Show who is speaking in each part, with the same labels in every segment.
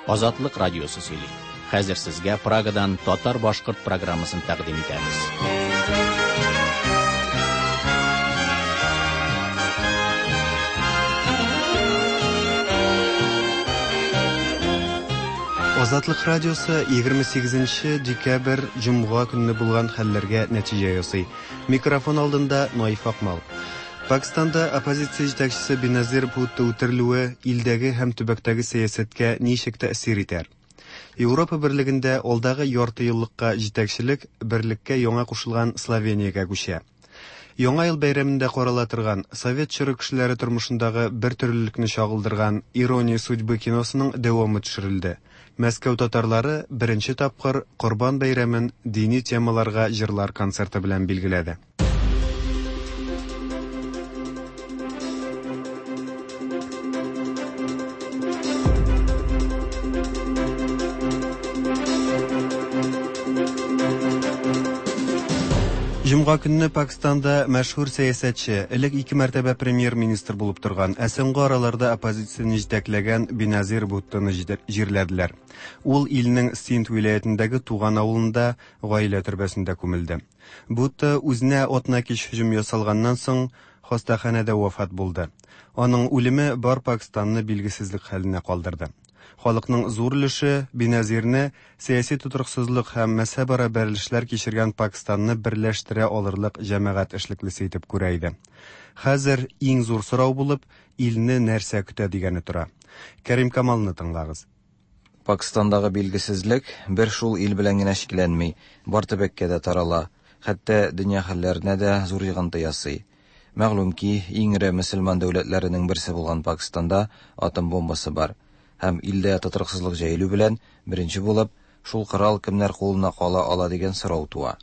Speaker 1: Азатлык радиосы сөйли. Хәзер сезгә Прагадан татар-башкорт программасын тәкъдим итәбез.
Speaker 2: Азатлык радиосы 28 декабрь җомга көнне булган хәлләргә нәтиҗә ясый. Микрофон алдында Наиф Акмал. Пакстанда оппозиция җитәкчесе Беназир Бхутто үтерелүе илдәге һәм төбәктәге сәясәткә ничек тәэсир итәр? Европа берлегендә алдагы ярты еллыкка җитәкчелек берлеккә яңа кушылган Словениягә күчә. Яңа ел бәйрәмендә карала торган, совет чоры кешеләре тормышындагы бертөрлелекне чагылдырган Ирония судьбы киносының дәвамы төшерелде. Мәскәү татарлары беренче тапкыр Корбан бәйрәмен дини темаларга җырлар концерты белән билгеләде. Җомга көнне Пакстанда мәшһүр сәясәтче, элек ике мәртәбә премьер-министр булып торган, ә соңгы араларда оппозицияне җитәкләгән Беназир Буттоны җирләделәр. Ул илнең Синд вилаятендәге туган авылында гаилә төрбәсендә күмелде. Бутто үзенә атнакич һөҗүм ясалганнан соң хастаханәдә вафат булды. Аның үлеме бар Пакстанны билгесезлек хәленә калдырды. Халыкның зур өлеше Беназирне сәяси тотрыксызлык һәм мәзһәбара бәрелешләр кичергән Пакстанны берләштерә алырлык җәмәгать эшлеклесе итеп күрә иде. Хәзер иң зур сорау булып, илне нәрсә көтә дигәне тора. Кәрим Камалны тыңлагыз.
Speaker 3: Пакстандагы билгесезлек бер шул ил белән генә чикләнми, бар төбәккә дә тарала, хәтта дөнья хәлләренә дә зур йогынты ясый. Мәгълүм ки, иң эре мөселман дәүләтләренең берсе булган Пакстанда атом бомбасы бар. Һәм илдә тотрыксызлык җәелү белән, беренче булып, шул корал кемнәр кулына кала ала дигән сорау туа.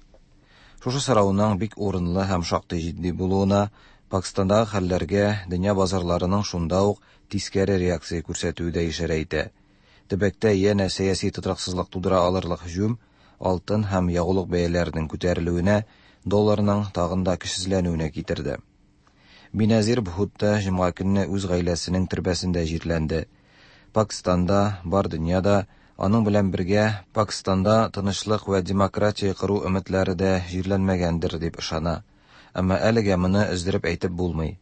Speaker 3: Шушы сорауның бик урынлы һәм шактый җитди булуына, Пакстандагы хәлләргә дөнья базарларының шунда ук тискәре реакция күрсәтүе дә ишарә итә. Төбәктә янә сәяси тотрыксызлык тудыра алырлык һөҗүм алтын һәм ягулык бәяләренең күтәрелүенә, долларның тагын да көчсезләнүенә китерде. Биназир Бхутто җомга көнне үз гаиләсенең төрбәсендә җирләнде. Пакстанда, бар дөньяда, аның белән бергә Пакстанда тынычлык вә демократия кору өметләре дә җирләнмәгәндер дип ышана. Әмма әлегә моны өздереп әйтеп булмый.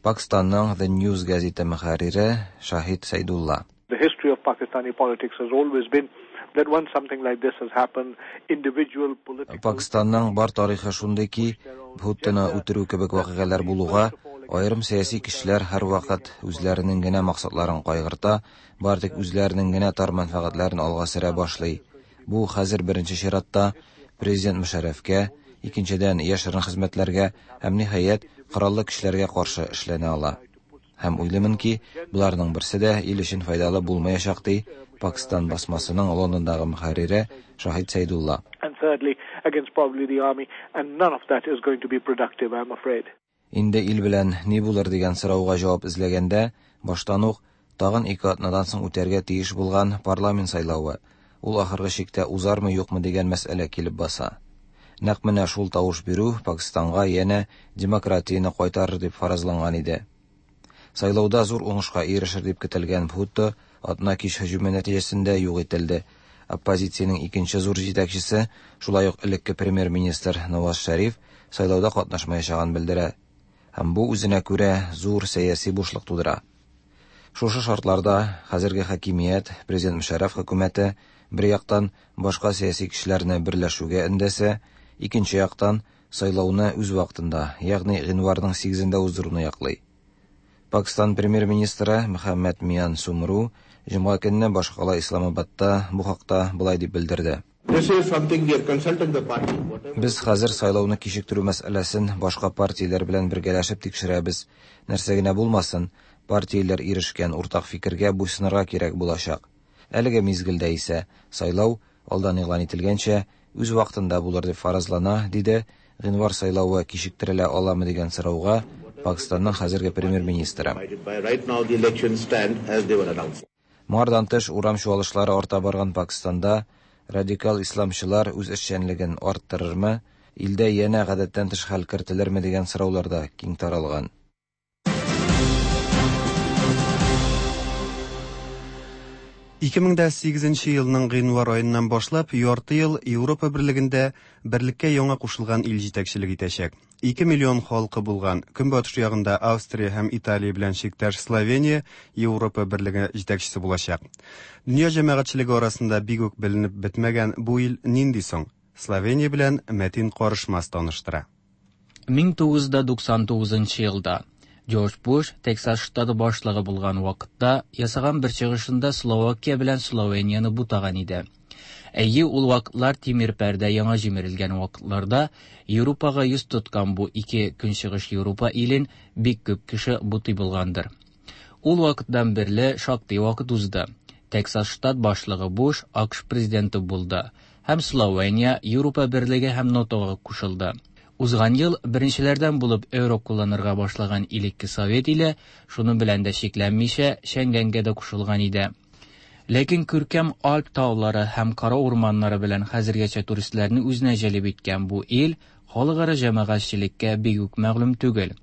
Speaker 3: Пакстанның The News гәзите мөхәррире Шаһид Сәйдулла.
Speaker 4: The history of Pakistani politics has always been that once something like this has happened, individual political
Speaker 3: Пакстанның бар тарихы шундый ки, Бхуттоны үтерү кебек вакыйгалар булуга, аерым сәяси көчләр һәрвакыт үзләренең генә максатларын кайгырта, бары тик үзләренең генә тар мәнфәгатьләрен алга сөрә башлый. Бу хәзер беренче чиратта президент Мөшәррәфкә, икенчедән яшерен хезмәтләргә һәм ниһаять кораллы көчләргә каршы эшләнә ала. Һәм уйлыймын ки, боларның берсе дә ил өчен файдалы булмаячак, ди Пакстан басмасының Лондондагы мөхәррире Шаһид Сәйдулла.
Speaker 4: And thirdly, against probably the army, and none of that is going to be productive, I'm afraid.
Speaker 3: Инде ил белән ни булыр дигән сорауга җавап эзләгәндә, баштан ук тагын ике атнадан соң үтәргә тиеш булган парламент сайлавы, ул ахыргы чиктә узармы-юкмы дигән мәсьәлә килеп баса. Нәкъ менә шул тавыш бирү Пакстанга янә демократияне кайтарыр дип фаразланган иде. Сайлауда зур уңышка ирешер дип көтелгән Бхутто атна кич һөҗүме нәтиҗәсендә юк ителде. Оппозициянең икенче зур җитәкчесе, шулай ук элекке премьер-министр Наваз Шәриф сайлауда катнашмаячагын белдерә. Һәм бу үзенә күрә зур сәяси бушлык тудыра. Шушы шартларда хәзерге хакимият, президент Мөшәррәф хөкүмәте бер яктан башка сәяси көчләрне берләшүгә өндәсә, икенче яктан сайлауны үз вакытында, ягъни гыйнварның 8-ендә уздыруны яклый. Пакстан премьер-министры Мөхәммәд Миян Сумру җомга көнне башкала Исламабадта бу хакта болай дип белдерде. Без хәзер сайлауны кичектерү мәсьәләсен башка партияләр белән бергәләшеп тикшерәбез. Нәрсә генә булмасын, партияләр ирешкән уртак фикергә буйсынырга кирәк булачак. Әлеге мизгелдә исә сайлау, алдан игълан ителгәнчә, үз вакытында булыр дип фаразлана, диде гыйнвар сайлавы кичектерелә аламы дигән сорауга Пакстанның хәзерге премьер-министры. Моңардан тыш, урам чуалышлары арта барган Пакстанда радикал исламчылар үз эшчәнлеген арттырырмы, илдә янә гадәттән тыш хәл кертелерме дигән сораулар да киң таралган.
Speaker 2: 2008 елның гыйнвар аеннан башлап ярты ел Европа берлегендә берлеккә яңа кушылган ил җитәкчелек итәчәк. 2 миллион халкы булган көнбатыш ягында Австрия һәм Италия белән чиктәш Словения Европа берлеге җитәкчесе булачак. Дөнья җәмәгатьчелеге арасында бик үк беленеп бетмәгән бу ил нинди соң? Словения белән Мәтин Карышмас таныштыра.
Speaker 5: 1999 елда Джордж Буш Тексас штаты башлыгы булган вакытта ясаган бер чыгышында Словакия белән Словенияне бутаган иде. Әйе, ул вакытлар тимер пәрдә яңа җимерелгән вакытларда Европага йөз тоткан бу ике көнчыгыш Европа илен бик күп кеше бутый булгандыр. Ул вакыттан бирле шактый вакыт узды. Тексас штат башлыгы Буш АКШ президенты булды һәм Словения Европа берлеге һәм НАТОга кушылды. Узган ел беренчеләрдән булып эуро кулланырга башлаган элекке Совет иле, шуның белән дә чикләнмичә, Шенгенгә дә кушылган иде. Ләкин күркәм Альп таулары һәм кара урманнары белән хәзергәчә туристларны үзенә җәлеп иткән бу ил халыкара җәмәгатьчелеккә бик үк мәгълүм түгел.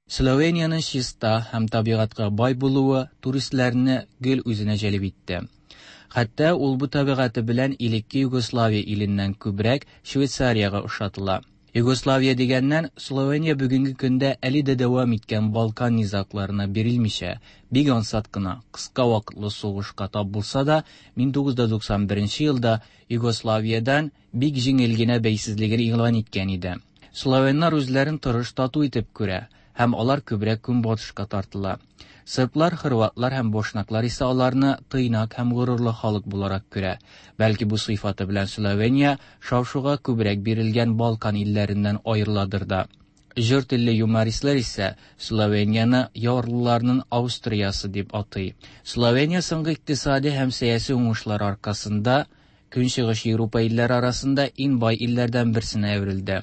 Speaker 5: Словениянең чиста һәм табигатькә бай булуы туристларны гел үзенә җәлеп итте. Хәтта ул бу табигате белән элекке Югославия иленнән күбрәк Швейцариягә ошатыла. Югославия дигәннән, Словения бүгенге көндә әле дә дәвам иткән Балкан низагларына бирелмичә, бик ансат кына, кыска вакытлы сугышка тап булса да, 1991 елда Югославиядән бик җиңел генә бәйсезлеген игълан иткән иде. Словеннар үзләрен тырыш тату итеп күрә һәм алар күбрәк көнбатышка тартыла. Серблар, хорватлар һәм бошнаклар исә аларны тыйнак һәм горурлы халык буларак күрә. Бәлки бу сыйфаты белән Словения шау-шуга күбрәк бирелгән Балкан илләреннән аерыладыр да. Җор телле юмористлар исә Словенияне ярлыларның Австриясе дип атый. Словения соңгы икътисади һәм сәяси уңышлар аркасында Көнчыгыш Европа илләре арасында иң бай илләрдән берсенә әверелде.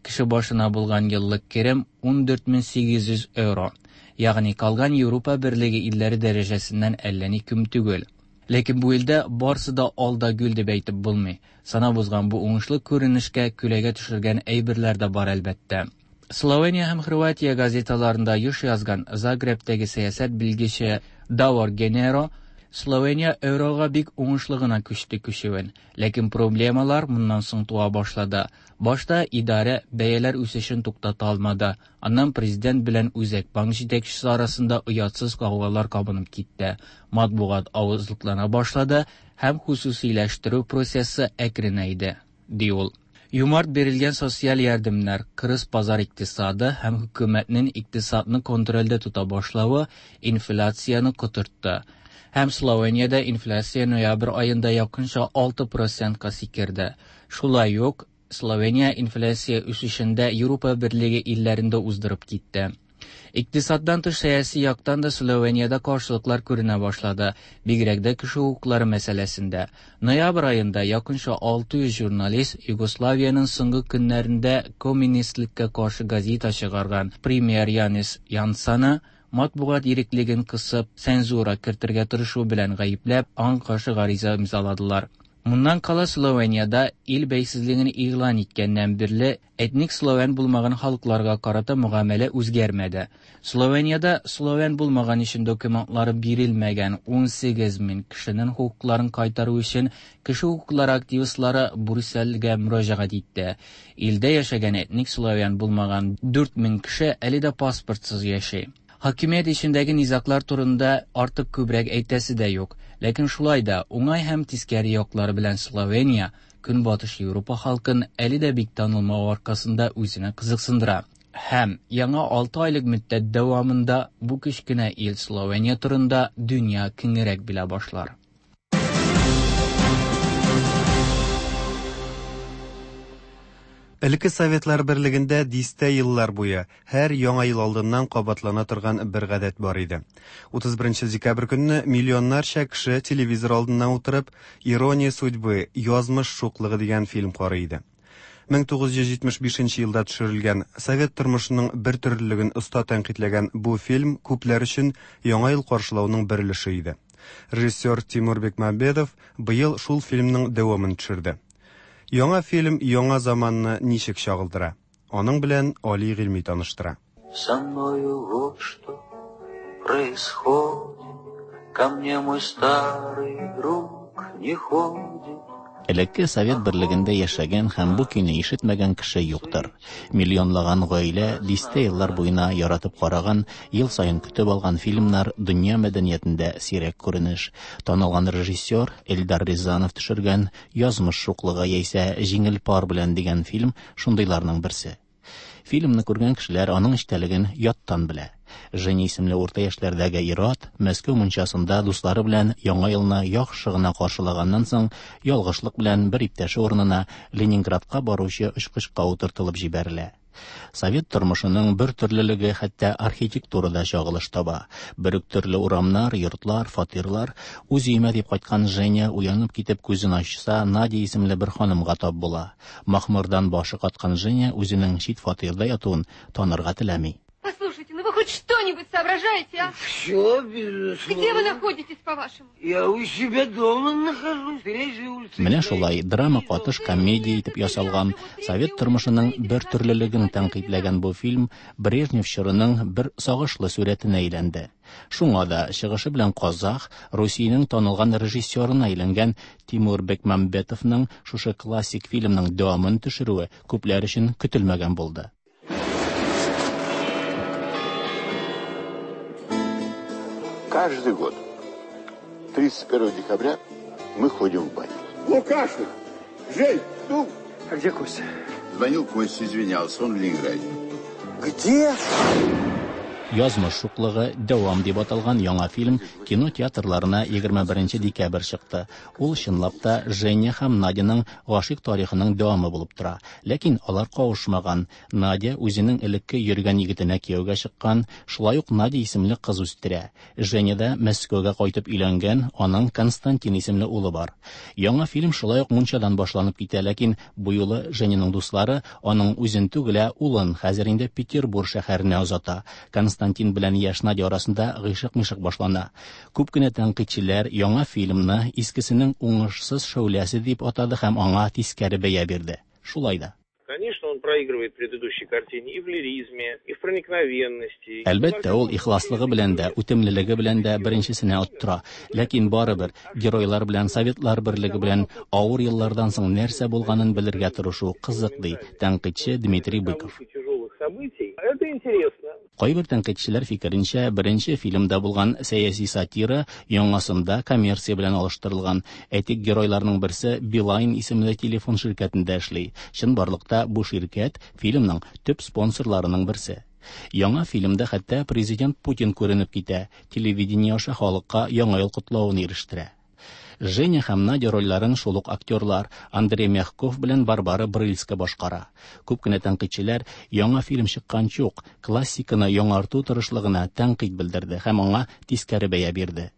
Speaker 5: Кеше башына булган еллык керем 14800 евро, ягъни калган Европа берлеге илләре дәрәҗәсеннән әллә ни ким түгел. Ләкин бу илдә барсы да ал да гөл дип әйтеп булмый. Санап узган бу уңышлы күренешкә күләгә төшергән әйберләр дә бар әлбәттә. Словения һәм Хорватия газеталарында еш язган Загребтәге сәясәт белгече Давор Генеро Словения eurога бик уңышлы гына күчте күчүен, ләкин проблемалар моннан соң туа башлады. Башта идарә бәяләр үсешен туктата алмады. Аннан президент белән Үзәк банк җитәкчесе арасында оятсыз гаугалар кабынып китте. Матбугат авызлыклана башлады һәм хосусиләштерү процессы әкренәйде, ди ул. Юмарт бирелгән социаль ярдәмнәр, кырыс базар икътисады һәм хөкүмәтнең икътисадны контрольдә тота башлавы инфляцияне котыртты. Һәм Словениядә инфляция ноябрь аенда якынча 6%ка сикерде. Шулай ук Словения инфляция үсешендә Европа берлеге илләрендә уздырып китте. Икътисаддан тыш сәяси яктан да Словениядә каршылыклар күренә башлады, бигрәк дә кеше хокуклары мәсьәләсендә. Ноябрь аенда якынча 600 журналист Югославиянең соңгы көннәрендә коммунистлыкка каршы газета чыгарган премьер Янис Янсаны матбугат иреклеген кысып, цензура кертергә тырышу белән гаепләп, аңа каршы гариза имзаладылар. Моннан кала Словениядә ил бәйсезлеген игълан иткәннән бирле этник словен булмаган халыкларга карата мөгамәлә үзгәрмәде. Словениядә словен булмаган өчен документлары бирелмәгән 18 мең кешенең хокукларын кайтару өчен кеше хокуклары активистлары Брюссельгә мөрәҗәгать итте. Илдә яшәгән этник словен булмаган 4 мең кеше әле дә паспортсыз яши. Хакимият эчендәге низаглар турында артык күбрәк әйтәсе дә юк. Ләкин шулай да уңай һәм тискәре яклары белән Словения Көнбатыш Европа халкын әле дә бик танылмау аркасында үзенә кызыксындыра. Һәм яңа 6 айлык мөддәт дәвамында бу кечкенә ил Словения турында дөнья киңрәк белә башлар.
Speaker 2: Элекке Советлар берлегендә дистә еллар буе һәр яңа ел алдыннан кабатлана торган бер гадәт бар иде. 31 декабрь көнне миллионнарча кеше телевизор алдына утырып «Ирония судьбы», «Язмыш шуклыгы» дигән фильм карый иде. 1975 елда төшерелгән совет тормышының бер төрлелеген оста тәнкыйтьләгән бу фильм күпләр өчен яңа ел каршылауның бер өлеше иде. Режиссер Тимур Бекмамбетов быел шул фильмның дәвамын төшерде. Яңа фильм яңа заманны ничек чагылдыра? Аның белән Али Гыйльми таныштыра.
Speaker 6: Со мною вот что происходит. Ко мне мой старый друг не ходит.
Speaker 1: Элекке Совет берлегендә яшәгән һәм бу көйне ишетмәгән кеше юктыр. Миллионлаган гаилә дистә еллар буена яратып караган, ел саен көтеп алган фильмнар дөнья мәдәниятендә сирәк күренеш. Танылган режиссер Эльдар Рязанов төшергән Язмыш шуклыгы яисә Җиңел пар белән дигән фильм шундыйларның берсе. Фильмны күргән кешеләр аның эчтәлеген яттан белә. Женя исемле урта яшьләрдәге ир-ат Мәскәү мунчасында дуслары белән Яңа елны яхшы гына каршылаганнан соң, ялгышлык белән бер иптәше урынына Ленинградка баручы очкычка утыртылып җибәрелә. Совет тормышының бер төрлелеге хәтта архитектурада чагылыш таба. Бер үк төрле урамнар, йортлар, фатирлар. Үз өемә дип кайткан Женя уянып китеп күзен ачса, Надя исемле бер ханымга тап була. Махмырдан башы каткан Женя үзенең чит фатирда ятуын танырга теләми.
Speaker 7: Послушайте, ну вы хоть что-нибудь соображаете, а?
Speaker 6: Все, безусловно.
Speaker 7: Где вы находитесь, по-вашему?
Speaker 6: Я у себя дома нахожусь. Третья улица.
Speaker 1: Менә шулай драма катыш комедия итеп ясалган, совет тормышының бер төрлелеген тәнкыйтьләгән бу фильм Брежнев чорының бер сагышлы сурәтенә әйләнде. Шуңа да чыгышы белән казах, Русиянең танылган режиссерына әйләнгән Тимур Бекмамбетовның шушы классик фильмның дәвамын төшерүе күпләр өчен көтелмәгән булды.
Speaker 8: Каждый год 31 декабря мы ходим в баню.
Speaker 9: Лукашин! Жень, ну...
Speaker 10: А где Костя?
Speaker 8: Звонил Костя, извинялся, он в Ленинграде.
Speaker 10: Где?
Speaker 1: Язмыш шуклыгы дәвам дип аталган яңа фильм кино театрларына 21 декабрь чыкты. Ул чынлап та Женя һәм Надяның гашыйк тарихының дәвамы булып тора. Ләкин алар кавышмаган. Надя үзенең элекке йөргән егетенә кияүгә чыккан, шулай ук Надя исемле кыз үстерә. Женя да Мәскәүгә кайтып өйләнгән, аның Константин исемле улы бар. Яңа фильм шулай ук мунчадан башланып китә, ләкин бу юлы Женяның дуслары аның үзен түгел, ә улын хәзер инде Петербург шәһәренә озата. Константин белән яшь Надя арасында гыйшык-мишык башлана. Күп кенә тәнкыйтьчеләр яңа фильмны искесенең уңышсыз шәүләсе дип атады һәм аңа тискәре бәя бирде. Шулай да.
Speaker 11: Конечно, он проигрывает предыдущей картине и в лиризме, и в проникновенности.
Speaker 1: Әлбәттә, ул ихласлыгы белән дә, үтемлелеге белән дә беренчесенә оттыра. Ләкин барыбер геройлар белән Советлар берлеге белән авыр еллардан соң нәрсә булганын белергә тырышу кызык, ди тәнкыйтьче Дмитрий Быков.
Speaker 11: Тяжелых событий. Это интересно.
Speaker 1: Кайбер тәнкыйтьчеләр фикеренчә, беренче фильмда булган сәяси сатира яңасында коммерция белән алыштырылган. Әйтик, геройларның берсе Билайн исемле телефон ширкәтендә эшли. Чынбарлыкта бу ширкәт фильмның төп спонсорларының берсе. Яңа фильмда хәтта президент Путин күренеп китә, телевидение аша халыкка яңа ел котлавын ирештерә. Женя һәм Надя рольләрен шул ук актерлар Андрей Мягков белән Барбара Брыльска башкара. Күп кенә тәнкыйтьчеләр яңа фильм чыкканчы ук классиканы яңарту тырышлыгына тәнкыйть белдерде һәм аңа тискәре бәя бирде.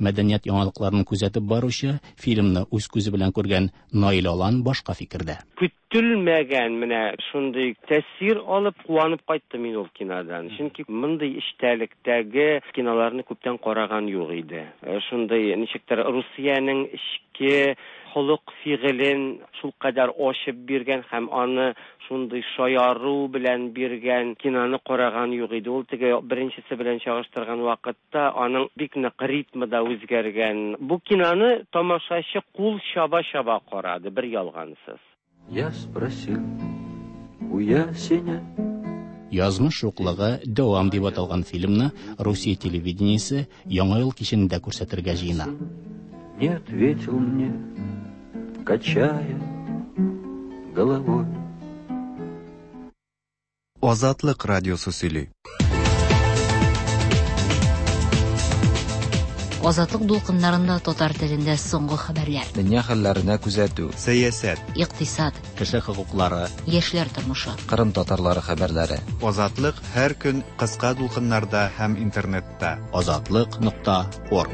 Speaker 1: Мәдәният яңалыкларын күзәтеп баручы, фильмны үз күзе белән күргән Наил Алан башка фикердә.
Speaker 12: Көтелмәгән менә шундый тәэсир алып куанып кайттым мин ул кинодан. Чөнки мондый эчтәлектәге киноларны күптән караган юк иде. Шундый ничектер Русиянең эчке холык фигылен шулкадәр ачып биргән һәм аны шундый шаяру белән биргән киноны караган юк иде. Ул теге беренчесе белән чагыштырган вакытта аның бик нык ритмы да үзгәргән. Бу киноны тамашачы кул чаба-чаба карады, бер ялгансыз.
Speaker 6: Я спросил у ясеня.
Speaker 1: Язмыш шуклыгы дәвам дип аталган фильмны Русия телевидениесе Яңа ел кичендә күрсәтергә җыена.
Speaker 6: Не ответил мне, качая головой.
Speaker 2: Азатлык радиосы сөйли.
Speaker 13: Азатлык дулкыннарында татар телендә соңгы хәбәрләр.
Speaker 3: Дөнья хәлләренә күзәтү.
Speaker 2: Сәясәт.
Speaker 13: Икътисад.
Speaker 1: Кеше хокуклары.
Speaker 13: Яшьләр тормышы.
Speaker 3: Кырым татарлары хәбәрләре.
Speaker 2: Азатлык һәр көн кыска дулкыннарда һәм интернетта.
Speaker 1: Азатлык.орг.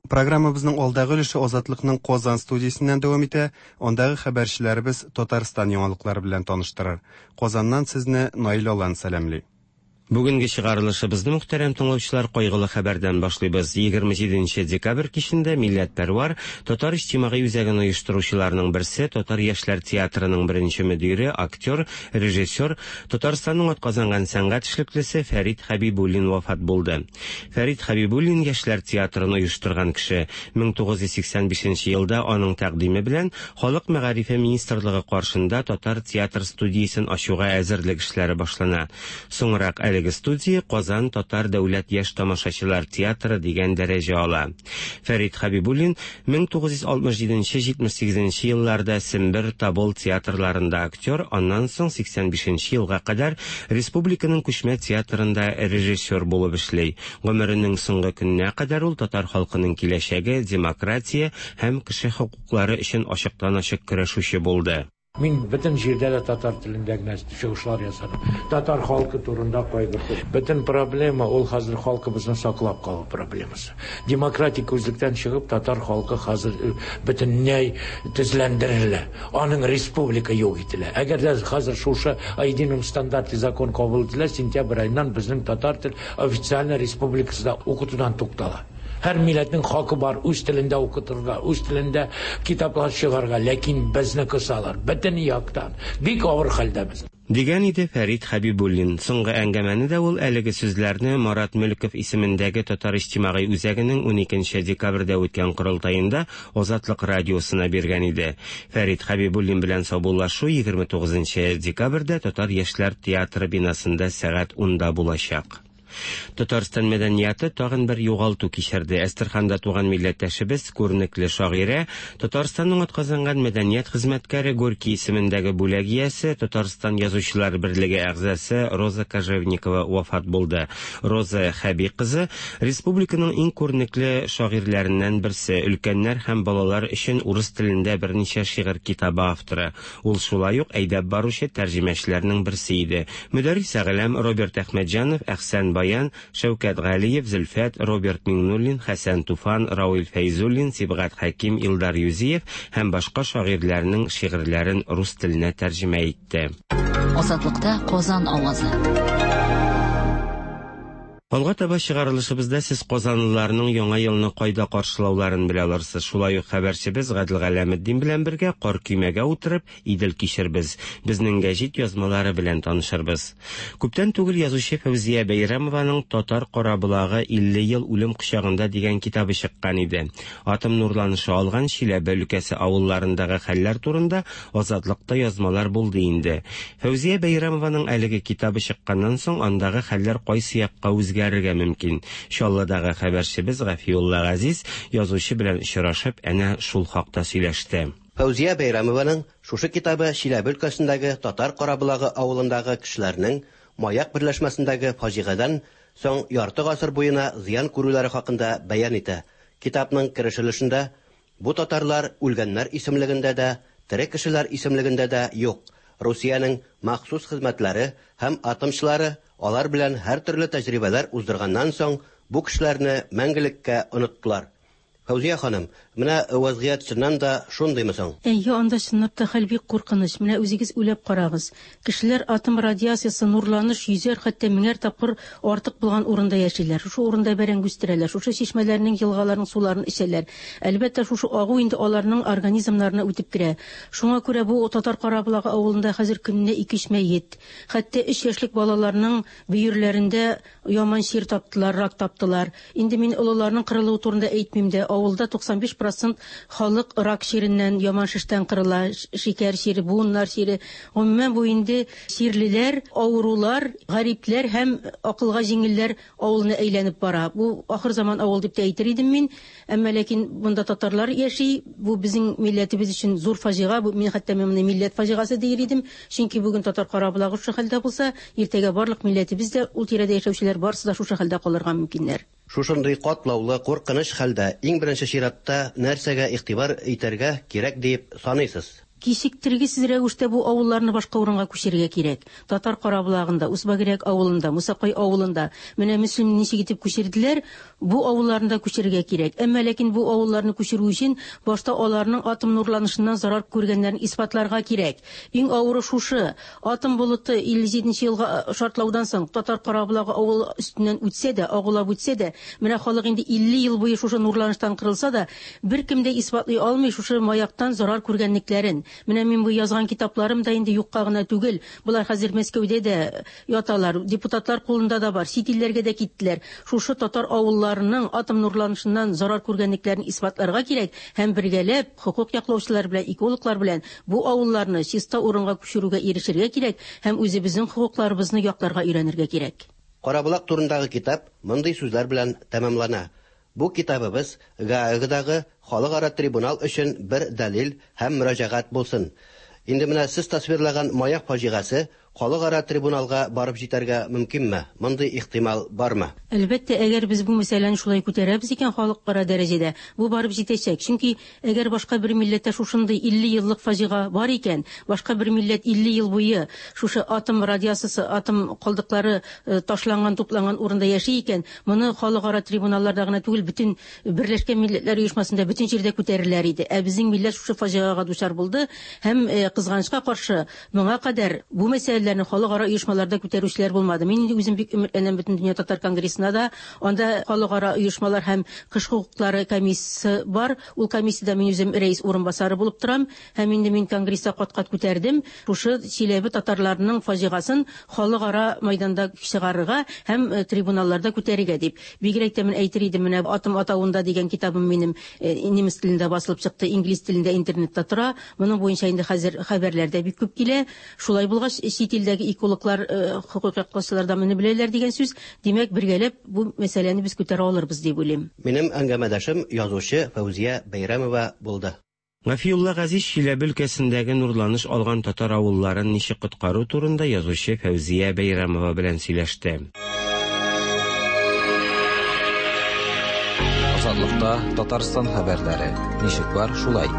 Speaker 2: Программабызның алдагы өлеше Азатлыкның Казан студиясеннән дәвам итә. Андагы хәбәрчеләребез Татарстан яңалыклары белән таныштырыр. Казаннан сезне Наил Алан сәламли.
Speaker 14: Бүгенге чыгарылышыбызны, мөхтәрәм тыңлаучылар, кайгылы хәбәрдән башлыйбыз. 27 декабрь кичендә милләтпәрвар, Татар иҗтимагый үзәген оештыручыларның берсе, Татар яшьләр театрының беренче мөдире, актер, режиссер, Татарстанның атказанган сәнгать эшлеклесе Фәрит Хәбибуллин вафат булды. Фәрит Хәбибуллин яшьләр театрын оештырган кеше. 1985 елда аның тәкъдиме белән Халык мәгарифе министрлыгы каршында татар театр студиясен ачуга әзерлек эшләре башлана. Соңрак әлеге студия Казан татар дәүләт яшь тамашачылар театры дигән дәрәҗә ала. Фәрит Хәбибуллин 1967-78 елларда Сембер, Тобол театрларында актер, аннан соң 85 елга кадәр республиканың күчмә театрында режиссер булып эшли. Гомеренең соңгы көненә кадәр ул татар халкының киләчәге, демократия һәм кеше хокуклары өчен ачыктан-ачык көрәшүче булды.
Speaker 15: Мин бөтен җирдә дә татар телендә генә чыгышлар ясадым. Татар халкы турында кайгыртып. Бөтен проблема ул хәзер халкыбызны саклап калу проблемасы. Демократик күзлектән чыгып, татар халкы хәзер э, бөтенләй тезләндерелә. Аның республика юк ителә. Әгәр дә хәзер шушы о едином стандарте закон кабул ителә, сентябрь аеннан безнең татар тел официально республикасында укытудан туктала. Һәр милләтнең хакы бар үз телендә укытырга, үз телендә китаплар чыгарга, ләкин безне кысалар. Бөтен яктан. Бик авыр хәлдә без.
Speaker 14: Дигән иде Фәрит Хәбибуллин. Соңгы әңгәмәне дә ул әлеге сүзләрне Марат Мөлков исемендәге Татар иҗтимагый үзәгенең 12 декабрьдә үткән корылтаенда Азатлык радиосына биргән иде. Фәрит Хәбибуллин белән саубуллашу 29 декабрьдә Татар яшьләр театры бинасында сәгать 10да булачак. Татарстан мәдәнияте тагын бер югалту кичерде. Әстерханда туган милләттәшебез, күренекле шагыйрә, Татарстанның атказанган мәдәният хезмәткәре, Горький исемендәге бүләк иясе, Татарстан Язучылар берлеге әгъзасы Роза Кожевникова вафат булды. Роза Хәби кызы республиканың иң күренекле шагыйрьләреннән берсе, өлкәннәр һәм балалар өчен урыс телендә берничә шигырь китабы авторы. Ул шулай ук әйдәп баручы тәрҗемәчеләрнең берсе иде. Мөдәррис Әгъләм, Роберт Әхмәтҗанов, Әхсән Баян, Шәүкәт Галиев, Зөлфәт, Роберт Миңнуллин, Хәсән Туфан, Рауил Фәйзуллин, Сибгат Хәким, Илдар Юзиев һәм башка шагыйрьләрнең шигырьләрен рус теленә тәрҗемә итте.
Speaker 13: Азатлыкта Казан авазы.
Speaker 14: Алга таба чыгарылышыбызда сез казанлыларның Яңа елны кайда каршылауларын белә алырсыз. Шулай ук хәбәрчебез Гадел Галәметдин белән бергә кар көймәгә утырып, Идел кичербез. Безнең гәҗит язмалары белән танышырбыз. Күптән түгел язучы Фәүзия Бәйрәмованың Татар караболагы 50 ел үлем кочагында дигән китабы чыккан иде. Атом нурланышы алган Чиләбе өлкәсе авылларындагы хәлләр турында Азатлыкта язмалар булды инде. Фәүзия Бәйрәмованың әлеге китабы чыкканнан соң андагы хәлләр кайсы якка үзгәрергә мөмкин? Чаллыдагы хәбәрчебез Гафиулла Газиз язучы белән очрашып, әнә шул хакта сөйләште.
Speaker 16: Фәүзия Бәйрәмованың шушы китабы Чиләбе өлкәсендәге Татар Караболагы авылындагы кешеләрнең Маяк берләшмәсендәге фаҗигадән соң ярты гасыр буена зыян күрүләре хакында бәян итә. Китапның кереш өлешендә Бу татарлар үлгәннәр исемлегендә дә, тере кешеләр исемлегендә дә юк. Русиянең махсус хезмәтләре һәм атомчылары алар белән һәртөрле тәҗрибәләр уздырганнан соң, бу кешеләрне мәңгелеккә оныттылар. Фәүзия ханым, менә вәзгыять чыннан да шундыймы соң?
Speaker 17: Әйе, анда чынлап та хәл бик куркыныч. Менә үзегез уйлап карагыз. Кешеләр атом радиациясе, нурланыш йөзәр, хәтта меңәр тапкыр артык булган урында яшиләр. Шушы урында бәрәңге үстерәләр, шушы чишмәләрнең, елгаларның суларын эчәләр. Әлбәттә, шушы агу инде аларның организмнарына үтеп керә. Шуңа күрә бу Татар Караболагы авылында хәзер көненә ике-өч мәет. Хәтта өч яшьлек балаларның бөерләрендә яман чир таптылар, рак таптылар. Инде мин олыларның кырылуы турында әйтмим дә. Авылда 95 процент халык рак чиреннән, яман шештән кырыла, шикәр чире, буыннар чире. Гомумән, бу инде чирлеләр, авырулар, гарипләр һәм акылга җиңелләр авылына әйләнеп бара. Бу ахыр заман авыл дип тә әйтер идем мин. Әмма ләкин монда татарлар яши. Бу безнең милләтебез өчен зур фаҗига. Бу мин хәтта мин моны милләт фаҗигасы диер идем. Чөнки бүген татар Караболагы шушы хәлдә булса, иртәгә барлык милләтебез дә, ул тирәдә яшәүчеләр барысы да шушы хәлдә калырга мөмкиннәр.
Speaker 16: Шушындый катлаулы, куркыныч хәлдә иң беренче чиратта нәрсәгә игътибар итәргә кирәк диеп саныйсыз?
Speaker 17: Кичектергесез рәвештә бу авылларны башка урынга күчерергә кирәк. Татар Караболагында, Усбагирәк авылында, Мусакай авылында, менә Мөслимне ничек итеп күчерделәр, Бу авылларны да күчерергә кирәк. Әмма ләкин бу авылларны күчерү өчен башта аларның атом нурланышыннан зарар күргәннәрен исбатларга кирәк. Иң авыры шушы. Атом болыты 57 нче елгы шартлаудан соң Татар Караболагы авылы өстеннән үтсә дә, агулап үтсә дә, менә халык инде 50 ел буе шушы нурланыштан кырылса да, беркем дә исбатлый алмый шушы маяктан зарар күргәнлекләрен. Менә мин бу язган китапларым да инде юкка гына түгел. Болар хәзер Мәскәүдә дә яталар, депутатлар кулында да бар, чит илләргә дә киттеләр. Шушы татар авылларының атом нурланышыннан зарар күргәнлекләрен исбатларга кирәк һәм бергәләп хокук яклаучылар белән, экологлар белән бу авылларны чиста урынга күчерүгә ирешергә кирәк һәм үзебезнең хокукларыбызны якларга өйрәнергә кирәк.
Speaker 16: Караболак турындагы китап мондый сүзләр белән тәмамлана, Бу китабыбыз Гаагадагы халыкара трибунал өчен бер дәлил һәм мөрәҗәгать булсын. Инде менә сез тасвирлаган Маяк фаҗигасе халыкара трибуналга барып җитәргә мөмкинме? Мондый ихтимал бармы?
Speaker 17: Әлбәттә, әгәр без бу мәсьәләне шулай күтәрәбез икән халыкара дәрәҗәдә, бу барып җитәчәк. Чөнки әгәр башка бер милләттә шушындый 50 еллык фаҗига бар икән, башка бер милләт 50 ел буе шушы атом радиациясе, атом калдыклары ташланган, тупланган урында яши икән, моны халыкара трибуналларда гына түгел, бөтен Берләшкән Милләтләр Оешмасында бөтен җирдә күтәрерләр иде. Ә безнең милләт шушы фаҗигага дучар булды һәм, кызганычка каршы, моңа кадәр бу мәсьәләләрне халыкара оешмаларда күтәрүчеләр булмады. Мин инде үзем бик өметләнәм Бөтендөнья татар конгрессына да. Анда халыкара оешмалар һәм кеше хокуклары комиссиясе бар. Ул комиссиядә мин үзем рәис урынбасары булып торам. Һәм инде мин конгресста кат-кат күтәрдем шушы Чиләбе татарларының фаҗигасын халыкара майданда чыгарырга һәм трибуналларда күтәрергә дип. Бигрәк тә мин әйтер идем, менә Атом атавында дигән китабым минем немец телендә басылып чыкты, инглиз телендә интернетта тора. Моның буенча инде хәзер хәбәрләр дә бик күп килә. Шулай булгач, чит илдәге экологлар, хокук яклаучылар да моны беләләр дигән сүз. Димәк, бергәләп бу мәсьәләне без күтәрә алырбыз дип уйлыйм.
Speaker 16: Минем әңгәмәдәшем язучы Фәүзия Бәйрәмова булды.
Speaker 14: Гафиулла Газиз Чиләбе өлкәсендәге нурланыш алган татар авылларын ничек коткару турында язучы Фәүзия Бәйрәмова белән сөйләште.
Speaker 3: Азатлыкта Татарстан хәбәрләре. Ничек бар, шулай.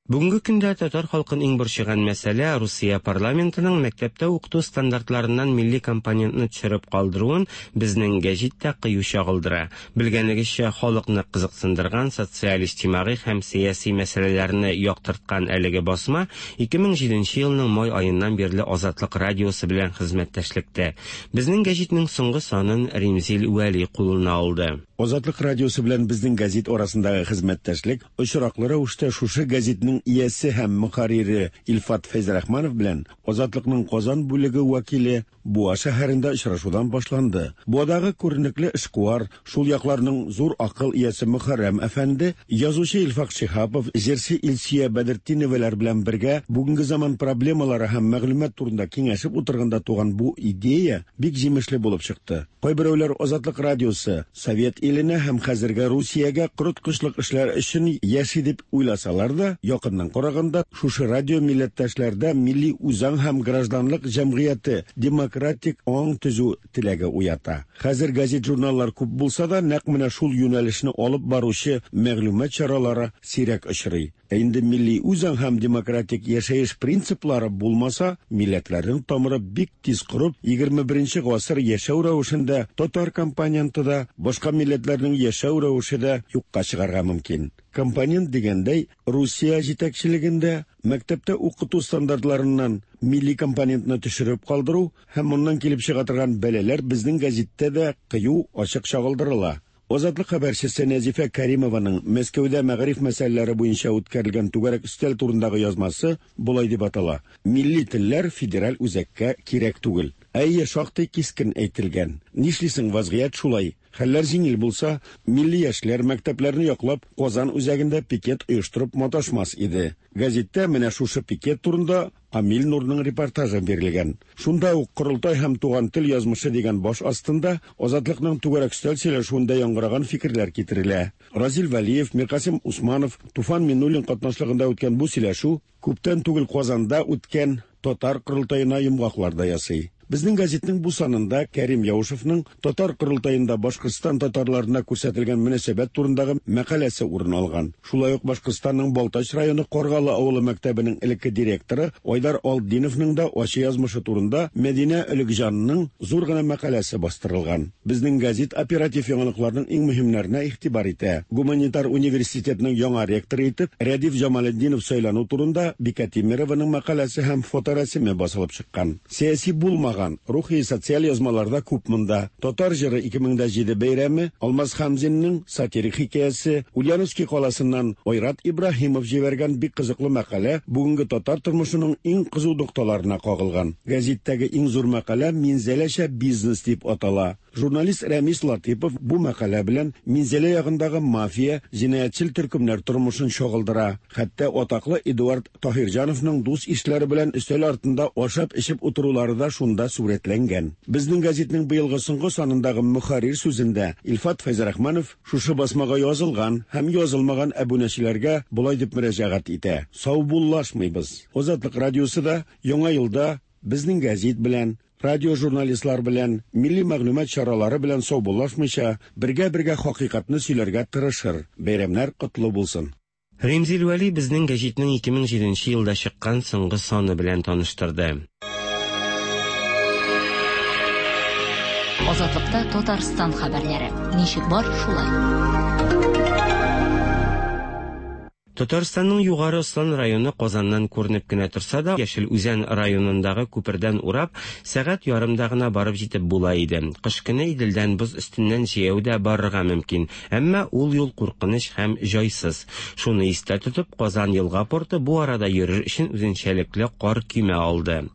Speaker 14: Бүгенге көндә татар халкын иң борчыган мәсьәлә, Русия парламентының мәктәптә укыту стандартларыннан милли компонентны төшереп калдыруын безнең гәҗит тә кыю чагылдыра. Белгәнегезчә, халыкны кызыксындырган социаль-иҗтимагый һәм сәяси мәсьәләләрне яктырткан әлеге басма 2007 елның май аеннан бирле Азатлык радиосы белән хезмәттәшлектә. Безнең гәҗитнең соңгы санын Римзил Вәли кулына алды.
Speaker 18: Азатлык радиосы белән безнең гәзит арасындагы хезмәттәшлек очраклы рәвештә шушы гәзитнең иясе һәм мөхәррире Илфат Фәйзрахманов белән Азатлыкның Казан бүлеге вәкиле Буа шәһәрендә очрашудан башланды. Буадагы күренекле эшкуар, шул якларның зур акыл иясе Мөхәррәм әфәнде, язучы Илфак Шиһапов, җырчы Илсөя Бәдертдиновалар белән бергә бүгенге заман проблемалары һәм мәгълүмат турында киңәшеп утырганда туган бу идея бик җимешле булып чыкты. Кайберәүләр Азатлык радиосы Совет иленә һәм хәзерге Русиягә корыткычлык эшләр өчен яши дип уйласалар да, якыннан караганда, шушы радио милләттәшләрдә милли үзаң һәм гражданлык җәмгыяте, демократик аң төзү теләге уята. Хәзер газет-журналлар күп булса да, нәкъ менә шул юнәлешне алып баручы мәгълүмат чаралары сирәк очрый. Ә инде милли үзаң һәм демократик яшәеш принциплары булмаса, милләтләрнең тамыры бик тиз корып, 21 нче гасыр яшәү рәвешендә татар компоненты да, башка милләтләрнең яшәү рәвеше дә юкка чыгарга мөмкин. Компонент дигәндәй, Русия җитәкчелегендә мәктәптә укыту стандартларыннан милли компонентны төшереп калдыру һәм моннан килеп чыга торган бәлаләр безнең гәзиттә дә кыю, ачык чагылдырыла. Азатлык хәбәрчесе Нәзифә Кәримованың Мәскәүдә мәгариф мәсьәләләре буенча үткәрелгән түгәрәк өстәл турындагы язмасы болай дип атала, Милли телләр федераль үзәккә кирәк түгел. Әйе, шактый кискен әйтелгән. Нишлисең, вазгыять шулай. Хәлләр җиңел булса, милли яшьләр мәктәпләрне яклап Казан үзәгендә пикет оештырып маташмас иде. Гәзиттә менә шушы пикет турында Камил Нурның репортажы бирелгән. Шунда ук Корылтай һәм туган тел язмышы дигән баш астында Азатлыкның түгәрәк өстәл сөйләшүендә яңгыраган фикерләр китерелә. Разил Вәлиев, Миркасыйм Усманов, Туфан Миннуллин катнашлыгында үткән бу сөйләшү күптән түгел Казанда үткән татар корылтаена йомгаклар да ясый. Безнең гәзитнең бу санында Кәрим Яушевның Татар корылтаенда Башкортстан татарларына күрсәтелгән мөнәсәбәт турындагы мәкаләсе урын алган. Шулай ук Башкортстанның Балтач районы Каргалы авылы мәктәбенең элекке директоры Айдар Алтдиновның да ачы язмышы турында Мәдинә Өлекҗанның зур гына мәкаләсе бастырылган. Безнең гәзит оператив яңалыкларның иң мөһимнәренә игътибар итә. Гуманитар университетның яңа ректоры итеп Рәдиф Җамалетдинов сайлану турында Бикә Тимерованың мәкаләсе һәм фоторәсеме басылып чыккан. Сәяси булмаган, рухи, социаль язмалар да күп монда. Татар җыры 2007 бәйрәме, Алмаз Хәмзинның сатирик хикәясе, Ульяновски каласыннан Айрат Ибраһимов җибәргән бик кызыклы мәкалә бүгенге татар тормышының иң кызу нокталарына кагылган. Гәзиттәге иң зур мәкалә Минзәләчә бизнес дип атала. Журналист Рәмис Латыйпов бу мәкалә белән Минзәлә ягындагы мафия, җинаятьчел төркемнәр тормышын чагылдыра. Хәтта атаклы Эдуард Таһирҗановның дус-ишләре белән өстәл артында ашап-эчеп утырулары да шунда сурәтләнгән. Безнең гәзитнең быелгы соңгы санындагы мөхәррир сүзендә Илфат Фәйзрахманов шушы басмага язылган һәм язылмаган әбүнәчеләргә болай дип мөрәҗәгать итә: Саубуллашмыйбыз. Азатлык радиосы да Яңа елда Безнең гәзит белән, радиожурналистлар белән, милли мәгълүмат чаралары белән саубуллашмыйча, бергә-бергә хакыйкатьне сөйләргә тырышыр. Бәйрәмнәр котлы булсын!
Speaker 14: Римзил Вәли Безнең гәҗитнең 2007 нче елда чыккан соңгы саны белән таныштырды.
Speaker 13: Азатлыкта Татарстан хәбәрләре. Ничек бар, шулай.
Speaker 14: Татарстанның Югары Ослан районы Казаннан күренеп кенә торса да, Яшел Үзән районындагы күпердән урап, сәгать ярымда гына барып җитеп була иде. Кыш көне Иделдән боз өстеннән җәяү дә барырга мөмкин, әмма ул юл куркыныч һәм җайсыз. Шуны истә тотып, Казан елга порты бу арада йөрер өчен үзенчәлекле кар көймә алды.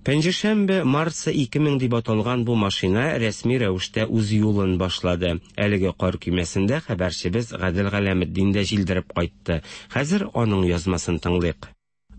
Speaker 14: Пәнҗешәмбе Марса 2000 дип аталган бу машина рәсми рәвештә үз юлын башлады. Әлеге кар көймәсендә хәбәрчебез Гадел Галәметдин дә җилдереп кайтты. Хәзер аның язмасын тыңлыйк.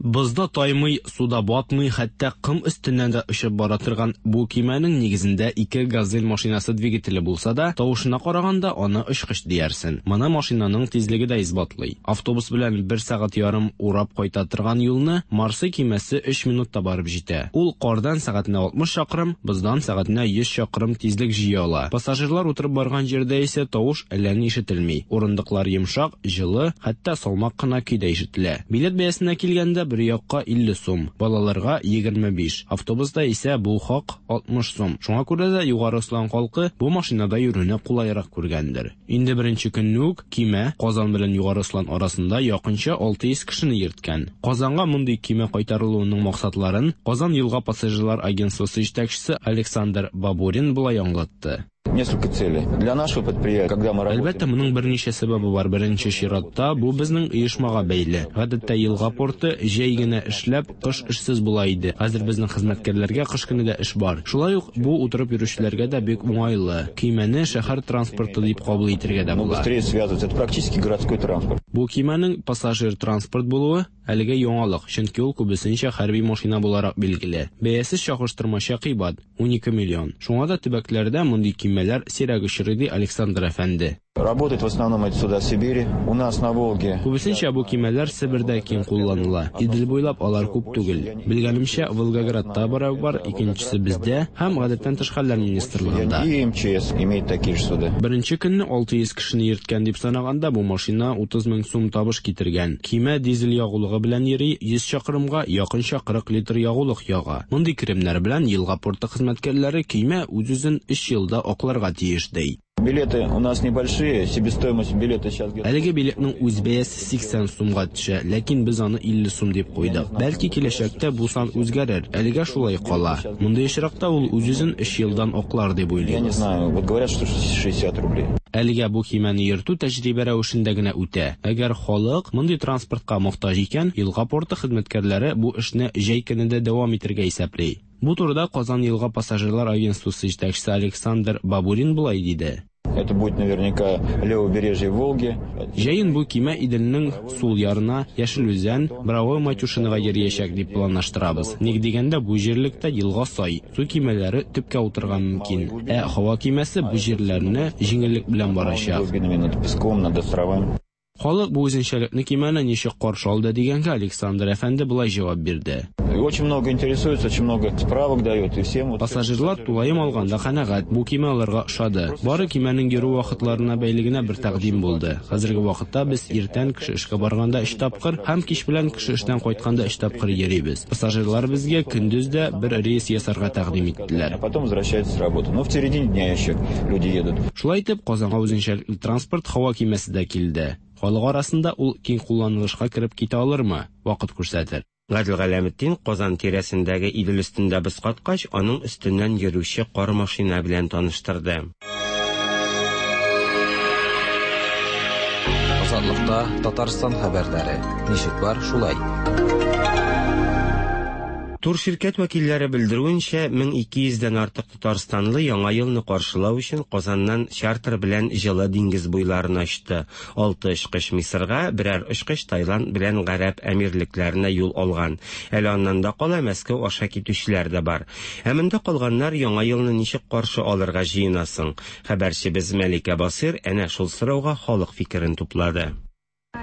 Speaker 19: Бозда таймый, суда батмый, хәтта ком өстеннән дә очып бара торган бу көймәнең нигезендә ике Газель машинасы двигателе булса да, тавышына караганда, аны очкыч диярсен. Моны машинаның тизлеге дә исбатлый. Автобус белән бер сәгать ярым урап кайта торган юлны Марсы көймәсе өч минутта барып җитә. Ул кардан сәгатенә 60 чакрым, боздан сәгатенә 100 чакрым тизлек җыя ала. Пассажирлар утырып барган җирдә исә тавыш әллә ни ишетелми. Урындыклар йомшак, җылы, хәтта салмак кына көй дә ишетелә. Билет бәясенә килгәндә, бер якка 50 сум, балаларга, 25. Автобуста исә бу хак 60 сум. Шуңа күрә дә Югары Ослан халкы бу машинада йөрүне кулайрак күргәндер. Инде беренче көнне үк көймә Казан белән Югары Ослан арасында якынча 600 кешене йөрткән. Казанга мондый көймә кайтарылуының максатларын Казан елга пассажирлар агентствосы җитәкчесе Александр Бабурин болай аңлатты.
Speaker 20: Несколько целей. Для нашего предприятия, когда мы работаем...
Speaker 19: Әлбәттә, моның берничә сәбәбе бар. Беренче чиратта, бу безнең оешмага бәйле. Гадәттә, елга порты җәй генә эшләп, кыш эшсез була иде. Хәзер безнең хезмәткәрләргә кыш көне дә эш бар. Шулай ук бу утырып йөрүчеләргә дә бик уңайлы. Көймәне шәһәр транспорты дип кабул итергә дә була.
Speaker 20: Быстрее связываться. Это практически городской транспорт.
Speaker 19: Бу көймәнең пассажир транспорт булуы, әлегә яңалык, чөнки ул күбесенчә хәрби машина буларак билгеле. Бәясе чагыштырмача кыйбат, 12 миллион. Шуңа да төбәкләрдә мондый көймәләр сирәк очрый, ди Александр әфәнде.
Speaker 20: Работают в основном эти суда в Сибири. У нас на Волге.
Speaker 19: Күбесенчә бу көймәләр Себердә киң кулланыла. Идел буйлап алар күп түгел. Белгәнемчә, Волгоградта берәү бар, икенчесе бездә һәм Гадәттән тыш хәлләр министрлыгында.
Speaker 20: И МЧС имеет такие же суда.
Speaker 19: Беренче көнне 600 кешене йөрткән дип санаганда, бу машина 30 мең сум табыш китергән. Көймә дизель ягулыгы белән йөри, 100 чакрымга якынча 40 литр ягулык яга. Мондый керемнәр белән елга порты хезмәткәрләре көймә үз-үзен өч елда акларга тиеш, ди.
Speaker 20: Билеты у нас небольшие, себестоимость билета сейчас где-то...
Speaker 19: Әлеге билетның үз бәясе 80 сумга төшә, ләкин без аны 50 сум дип куйдык. Бәлки киләчәктә бу сан үзгәрер, әлегә шулай кала. Мондый очракта ул үз-үзен өч елдан аклар дип
Speaker 20: Я не
Speaker 19: уйлыйбыз.
Speaker 20: знаю, вот говорят, что 60 рублей.
Speaker 19: Әлегә бу көймәне йөртү тәҗрибә рәвешендә генә үтә. Әгәр халык мондый транспортка мохтаҗ икән, елга порты хезмәткәрләре бу эшне җәй көне дә дәвам итәргә исәпли. Бу турыда Казан елга пассажирлар агентствосы җитәкчесе Александр Бабурин болай диде.
Speaker 20: Это будет наверняка левобережье Волги.
Speaker 19: Җәен бу көймә Иделнең сул ярына, Яшел Үзән, Боровое Матюшинога йөриячәк дип планлаштырабыз. Ник дигәндә, бу җирлектә елга сай, су көймәләре төпкә утырырга мөмкин. Ә һава көймәсе бу җирләрне җиңеллек белән барачак.
Speaker 20: Глубинами над песком, над островами.
Speaker 19: Халык бу үзенчәлекле көймәне ничек каршы алды дигәнгә Александр әфәнде болай җавап бирде.
Speaker 20: Очень много интересуются, очень много справок дают и всем.
Speaker 19: Пассажирлар тулаем алганда канәгать, бу кимә аларга ошады. Бары кимәнең йөрү вакытларына бәйле генә бер тәкъдим булды. Хәзерге вакытта без иртән кеше эшкә барганда өч тапкыр һәм кич белән кеше эштән кайтканда өч тапкыр йөрибез. Пассажирлар безгә көндез дә бер рейс ясарга тәкъдим иттеләр.
Speaker 20: А потом возвращаются с работы. Но в середине дня еще люди едут.
Speaker 19: Шулай итеп, Казанга үзенчәлекле транспорт һава кимәсе дә килде. Халык арасында ул киң кулланылышка кереп китә алырмы? Вакыт күрсәтер.
Speaker 14: Гадел Галәметдин Казан тирәсендәге Идел өстендә боз каткач, аның өстеннән йөрүче кар машина белән таныштырды.
Speaker 3: Азатлыкта Татарстан хәбәрләре. Ничек бар, шулай.
Speaker 14: Турширкәт вәкилләре белдерүенчә, 1200 дән артык татарстанлы Яңа елны каршылау өчен Казаннан чартер белән җылы диңгез буйларына очты. Алты очкыч Мисырга, берәр очкыч Таиланд белән Гарәп Әмирлекләренә юл алган. Әле аннан да кала Мәскәү аша китүчеләр дә бар. Ә монда калганнар Яңа елны ничек каршы алырга җыена соң? Хәбәрчебез Мәликә Басыйр әнә шул сорауга халык фикерен туплады.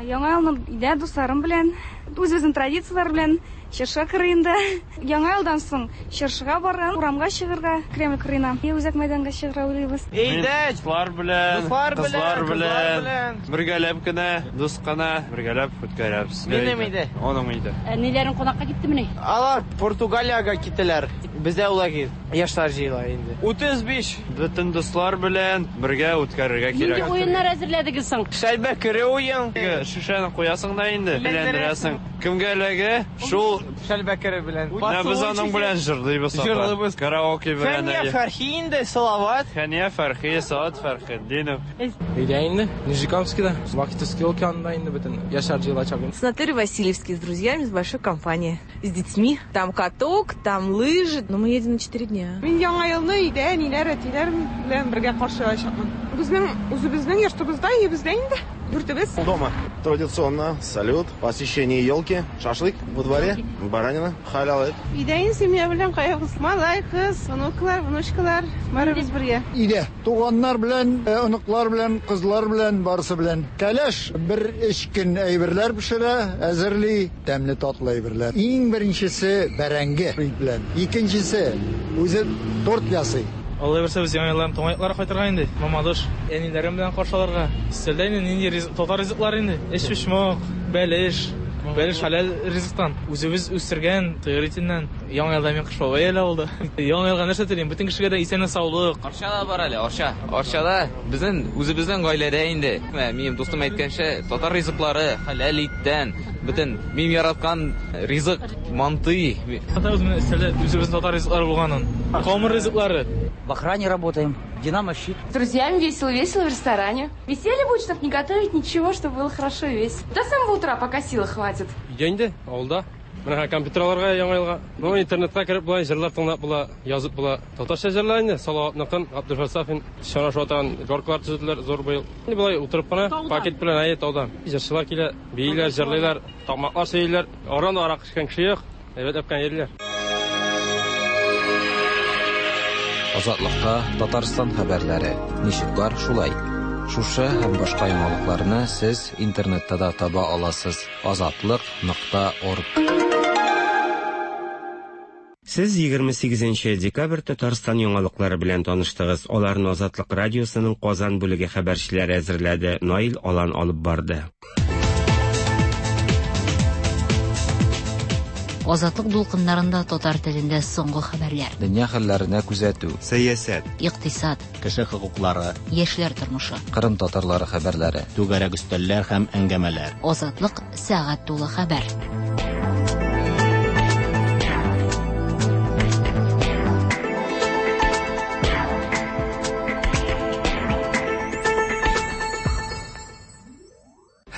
Speaker 21: Яңа елны өйдә дусларым белән, үзебезнең традицияләр белән чыршы кырыенда. Яңа елдан соң чыршыга барган, урамга чыгырга, Кремль кырыена, үзәк мәйданга чыгарга уйлыйбыз.
Speaker 22: Өйдә дуслар белән, кызлар белән, бергәләп кенә, дус кына бергәләп үткәрәбез.
Speaker 23: Минем өйдә.
Speaker 22: Аның өйдә.
Speaker 24: Әниләрең кунакка киттемени?
Speaker 23: Алар Португалиягә киттеләр. Бездә улай яшьләр җыела инде.
Speaker 22: 35 бөтен дуслар белән бергә үткәрергә кирәк.
Speaker 24: Нинди уеннар әзерләдегез соң?
Speaker 23: Шәлбә кере уен.
Speaker 22: Шешәне куясың да инде, әйләндерәсең. Кемгә эләгә, шул
Speaker 23: Шәлбә кере белән.
Speaker 22: Менә без аның белән җырлыйбыз.
Speaker 23: Җырлыйбыз.
Speaker 22: Караоке белән.
Speaker 23: Хәния Фәрхи инде, Салават.
Speaker 22: Хәния Фәрхи, Салават Фәрхетдинов.
Speaker 25: Өйдә инде, Нижнекамскида, Вахитовский океанында инде бөтен яшьләр җыелачак.
Speaker 26: Санаторий Васильевский с друзьями, с большой компанией, с детьми. Там каток, там лыжи. Но мы едем на 4 дня.
Speaker 27: Мин яңа елны өйдә әниләр, әтиләр белән бергә каршы алачакмын. Безнең үзебезнең йортыбызда, өебездә инде. Дүртебез.
Speaker 28: Дома традиционно салют, посещение елки, шашлык во дворе, баранина, халял ит.
Speaker 27: Өйдә инде семья белән каябыз. Малай, кыз, внуклар, внучкалар, барыбыз бергә.
Speaker 29: Өйдә туганнар белән, оныклар белән, кызлар белән, барысы белән. Кәләш бер өч көн әйберләр пешерә, әзерли, тәмле татлы әйберләр. Иң беренчесе бәрәңге белән. Икенчесе үзе торт ясый.
Speaker 25: Алла бирсә, без яңа елларны туган якларга кайтырга инде. Мамадыш әниләрем белән каршы алырга. Өстәлдә инде нинди ризык, татар ризыклары инде. Эчпочмак, бәлеш, бәлеш хәләл ризыктан. Үзебез үстергән сыер итеннән. Яңа елда мин Кыш бабай әле булды. Яңа елга нәрсә телим? Бөтен кешегә дә исәнлек, саулык.
Speaker 30: Арчада бар әле, Арча. Арчада безнең үзебезнең гаиләдә инде. Менә минем дустым әйткәнчә, татар ризыклары хәләл иттән. Бөтен мин яраткан ризык мантый.
Speaker 25: Татарбыз менә өстәлдә үзебезнең татар ризыклары булганын. Камыр ризыклары.
Speaker 31: В охране работаем. Динамо щит.
Speaker 7: С друзьями весело-весело в ресторане. Веселье будет, чтобы не готовить ничего, чтобы было хорошо и весело. До самого утра, пока силы хватит.
Speaker 25: Өйдә инде, авылда. Менә компьютер алырга яңа елга. Ну, интернетка кереп болай җырлар тыңлап була, язып була. Татарча җырлар инде, Салаватныкын, Габдулфәт Сафин, чана шуатан горкалар төзеделәр зур быел. Инде болай утырып кына, пакет белән әйе таудан. Җырчылар килә, бииләр, җырлыйлар, такмаклар сөйлиләр. Аран арак эчкән кеше юк, әйбәтләп кенә йөриләр.
Speaker 3: Азатлыкта Татарстан хәбәрләре. Ничек бар, шулай. Шушы һәм башка яңалыкларны сез интернетта да таба аласыз. Азатлык.орг.
Speaker 14: Сез 28 декабрь Татарстан яңалыклары белән таныштыгыз. Аларны Азатлык радиосының Казан бүлеге хәбәрчеләре әзерләде. Наил Алан алып барды.
Speaker 13: Азатлык дулкыннарында татар телендә соңгы хәбәрләр.
Speaker 3: Дөнья хәлләренә күзәтү.
Speaker 2: Сәясәт.
Speaker 13: Икътисад.
Speaker 1: Кеше хокуклары.
Speaker 13: Яшьләр тормышы.
Speaker 3: Кырым татарлары хәбәрләре.
Speaker 1: Түгәрәк өстәлләр һәм әңгәмәләр.
Speaker 13: Азатлык сәгать тулы хәбәр.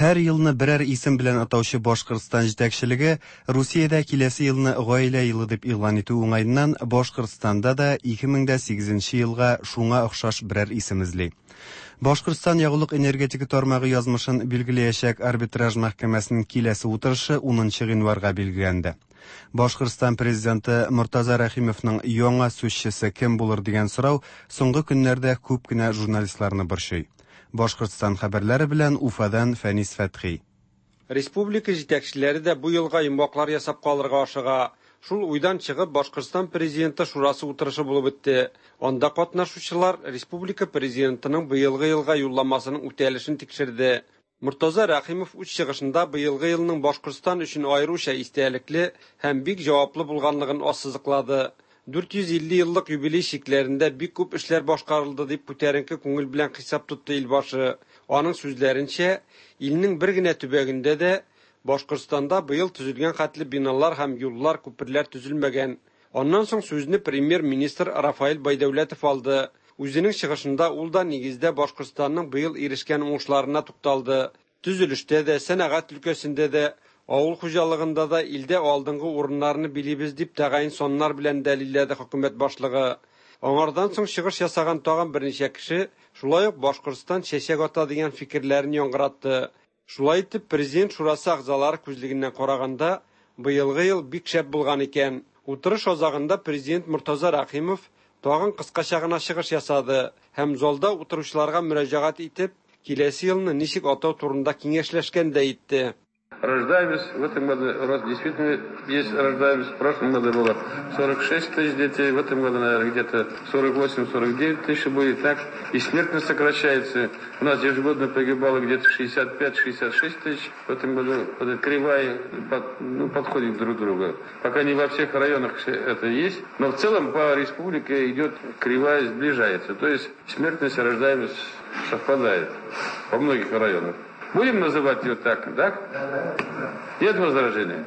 Speaker 2: Һәр елны берәр исем белән атаучы Башкортстан җитәкчелеге Русиядә киләсе елны Гаилә елы дип игълан итү уңаеннан Башкортстанда да 2008 елга шуңа охшаш берәр исем эзли. Башкортстан ягулык-энергетика тармагы язмышын билгеләячәк арбитраж мәхкәмәсенең киләсе утырышы 10 гыйнварга билгеләнде. Башкортстан президенты Мортаза Рәхимовның яңа сүзчесе кем булыр дигән сорау соңгы көннәрдә күп кенә журналистларны борчый. Башкортстан хәбәрләре белән Уфадан Фәнис Фәтхи.
Speaker 32: Республика җитәкчеләре дә бу елга йомгаклар ясап калырга ашыга.
Speaker 2: Шул уйдан чыгып, Башкортстан Президенты Шурасы утырышы булып үтте. Анда катнашучылар республика Президентының быелгы елга юлламасының үтәлешен тикшерде. Мортаза Рәхимов үз чыгышында быелгы елның Башкортстан өчен аеруча истәлекле һәм бик җаваплы булганлыгын ассызыклады. 450 еллык юбилей чикләрендә бик күп эшләр башкарылды, дип күтәренке күңел белән хисап тотты илбашы. Аның сүзләренчә, илнең бер генә төбәгендә дә Башкортстанда быел төзелгән хәтле биналар һәм юллар, күперләр төзелмәгән. Аннан соң сүзне премьер-министр Рафаэль Байдәүләтов алды. Үзенең чыгышында ул да нигездә Башкортстанның быел ирешкән уңышларына тукталды. Төзелештә дә, сәнәгать өлкәсендә дә, авыл хуҗалыгында да илдә алдынгы урыннарны билибез, дип тәгаен саннар белән дәлилләде хөкүмәт башлыгы. Аңардан соң чыгыш ясаган тагын берничә кеше шулай ук Башкортстан чәчәк ата дигән фикерләрен яңгыратты. Шулай итеп, Президент шурасы әгъзалары күзлегеннән караганда, быелгы ел бик шәп булган икән. Утырыш азагында Президент Мортаза Рәхимов тагын кыскача гына чыгыш ясады һәм залда утыручыларга мөрәҗәгать итеп, киләсе елны ничек атау турында киңәшләшкәндәй итте.
Speaker 4: Рождаемость в этом году рост действительно есть рождаемость. В прошлом году было 46 тысяч детей, в этом году, наверное, где-то 48-49 тысяч будет. Так и смертность сокращается. У нас ежегодно погибало где-то 65-66 тысяч. В этом году вот эта кривая ну, подходит друг к другу. Пока не во всех районах это есть, но в целом по республике идет кривая, сближается. То есть смертность и рождаемость совпадает во многих районах. Будем называть ее так, да? Нет возражений?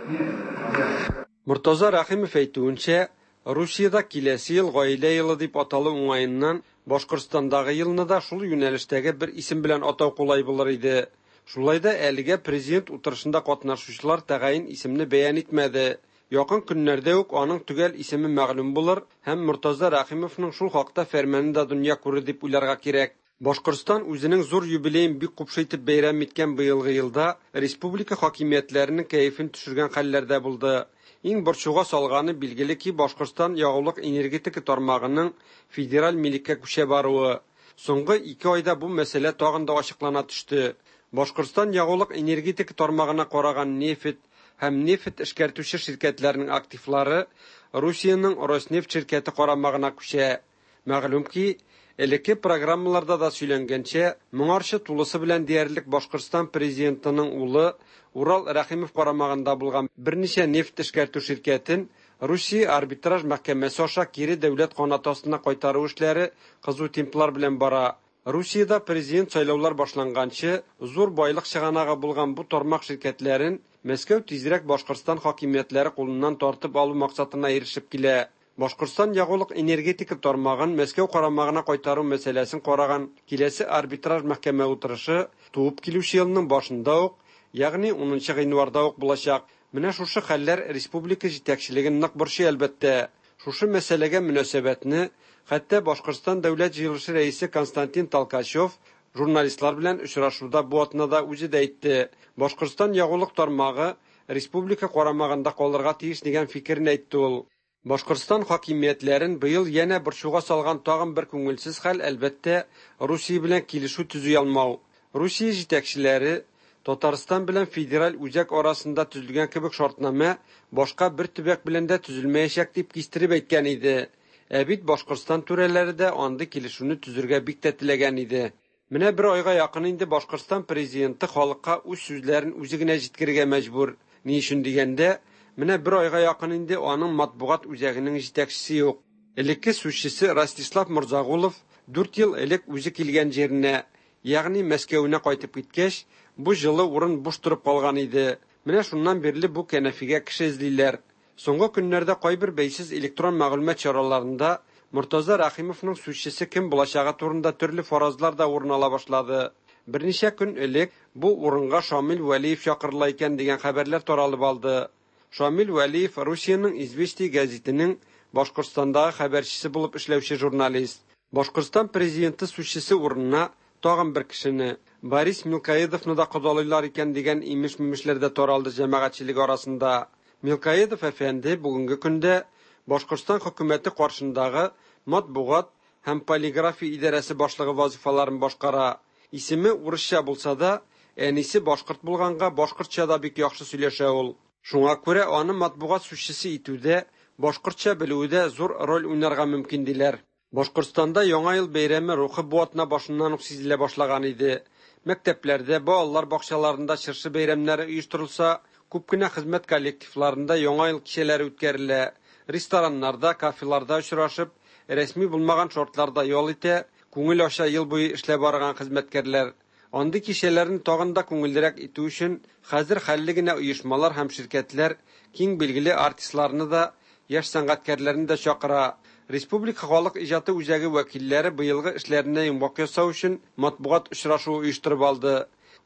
Speaker 2: Мортаза Рәхимов әйтүенчә, Русиядә киләсе ел Гаилә елы дип аталу уңаеннан Башкортстандагы елны да шул юнәлештәге бер исем белән атау кулай булыр иде. Шулай да әлегә президент утырышында катнашучылар тәгаен исемне бәян итмәде. Якын көннәрдә үк аның төгәл исеме мәгълүм булыр һәм Мортаза Рәхимовның шул хакта фәрманы да дөнья күрер дип уйларга кирәк. Башкортстан үзенең зур юбилеен бик купшы итеп бәйрәм иткән быелгы елда республика хакимиятләренең кәефен төшергән хәлләр дә булды. Иң борчуга салганы, билгеле ки, Башкортстан ягулык-энергетика тармагының федераль милеккә күчә баруы. Соңгы ике айда бу мәсьәлә тагын да ачыклана төште. Башкортстан ягулык-энергетика тармагына караган нефть һәм нефть эшкәртүче ширкәтләрнең активлары Русиянең Роснефть ширкәте карамагына күчә. Мәгълүм ки, элекке программаларда да сөйләнгәнчә, моңарчы тулысы белән диярлек Башкортстан президентының улы Урал Рәхимов карамагында булган берничә нефть эшкәртү ширкәтен Русия арбитраж мәхкәмәсе аша кире дәүләт канаты астына кайтару эшләре кызу темплар белән бара. Русиядә президент сайлаулар башланганчы зур байлык чыганагы булган бу тармак ширкәтләрен Мәскәү тизрәк Башкортстан хакимиятләре кулыннан тартып алу максатына ирешеп килә. Башкортстан ягулык-энергетика тармагын Мәскәү карамагына кайтару мәсьәләсен караган киләсе арбитраж мәхкәмә утырышы туып килүче елның башында ук, ягъни 10 гыйнварда ук булачак. Менә шушы хәлләр республика җитәкчелеген нык борчый, әлбәттә. Шушы мәсьәләгә мөнәсәбәтне хәтта Башкортстан Дәүләт җыелышы рәисе Константин Толкачев журналистлар белән очрашуда бу атнада үзе дә әйтте. Башкортстан ягулык тармагы республика карамагында калырга тиеш дигән фикерен әйтте ул. Башкортстан хакимиятләрен быел янә борчуга салган тагын бер күңелсез хәл, әлбәттә, Русия белән килешү төзи алмау. Русия җитәкчеләре Татарстан белән федераль үзәк арасында төзелгән кебек шартнамә башка бер төбәк белән дә төзелмәячәк дип кистереп әйткән иде. Ә бит Башкортстан түрәләре дә андый килешүне төзергә бик тә теләгән иде. Менә бер айга якын инде Башкортстан президенты халыкка үз сүзләрен үзе генә җиткерергә мәҗбүр. Ни өчен дигәндә, менә бер айга якын инде аның матбугат үзәгенең җитәкчесе юк. Элекке сүзчесе Ростислав Морзагулов 4 ел элек үзе килгән җиренә, ягъни Мәскәвенә кайтып киткәч, бу җылы урын буш торып калган иде. Менә шуннан бирле бу кәнәфигә кеше эзлиләр. Соңгы көннәрдә кайбер бәйсез электрон мәгълүмат чараларында Мортаза Рәхимовның сүзчесе кем булачагы турында төрле фаразлар да урын ала башлады. Берничә көн элек бу урынга Шамил Вәлиев чакырыла икән дигән хәбәрләр таралып алды. Шамил Вәлиев Русиянең Известия гәзитенең Башкортстандагы хәбәрчесе булып эшләүче журналист. Башкортстан президенты сүзчесе урынына тагын бер кешене, Борис Милкоедовны да кодалыйлар икән дигән имеш-мимешләр дә таралды җәмәгатьчелек арасында. Милкоедов әфәнде бүгенге көндә Башкортстан хөкүмәте каршындагы матбугат һәм полиграфия идарәсе башлыгы вазифаларын башкара. Исеме урысча булса да, әнисе башкорт булганга башкортча да бик яхшы сөйләшә ул.
Speaker 5: Шуңа күрә аны матбугат сүзчесе итүдә башкортча белүе дә зур роль уйнарга мөмкин диләр. Башкортстанда Яңа ел бәйрәме рухы бу атна башыннан ук сизелә башлаган иде. Мәктәпләрдә, балалар бакчаларында чыршы бәйрәмнәре оештырылса, күп кенә хезмәт коллективларында Яңа ел кичәләре үткәрелә. Рестораннарда, кафеларда очрашып, рәсми булмаган шартларда ял итә, күңел ача ел буе эшләп арыган хезмәткәрләр. Андый кичәләрне тагын да күңеллерәк итү өчен хәзер хәлле генә оешмалар һәм ширкәтләр киң билгеле артистларны да, яшь сәнгатькәрләрне дә чакыра. Республика халык иҗаты үзәге вәкилләре быелгы эшләренә йомгак ясау өчен матбугат очрашуы оештырып алды.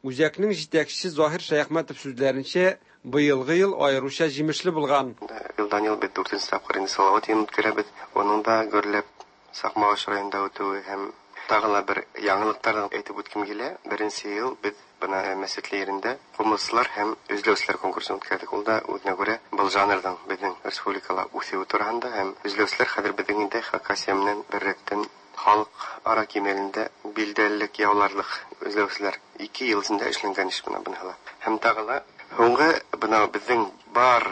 Speaker 5: Үзәкнең җитәкчесе Заһир Шәяхмәтов сүзләренчә, быелгы ел аеруча җимешле булган.
Speaker 6: Елдан-ел без дүртенче тапкыр инде Салават елын үткәрәбез. Оның да гөрләп Сакмагыш районында үтүе һәм тагы ла бер яңалыктарны әйтеп үткем килә. Беренче ел без бына Мәсетле ерендә кумыслар һәм өзләүселәр конкурсын үткәрдек. Ул да үзенә күрә был жанрның безнең республикала үсүе тураһында һәм өзләүселәр хәзер безнең инде Хакасия менән беррәттән халык ара кимәлендә билдәлелек яуларлык өзләүселәр. 2 ел эчендә эшләнгән эш бына быныһы ла. Һәм тагы ла һуңгы бына безнең бар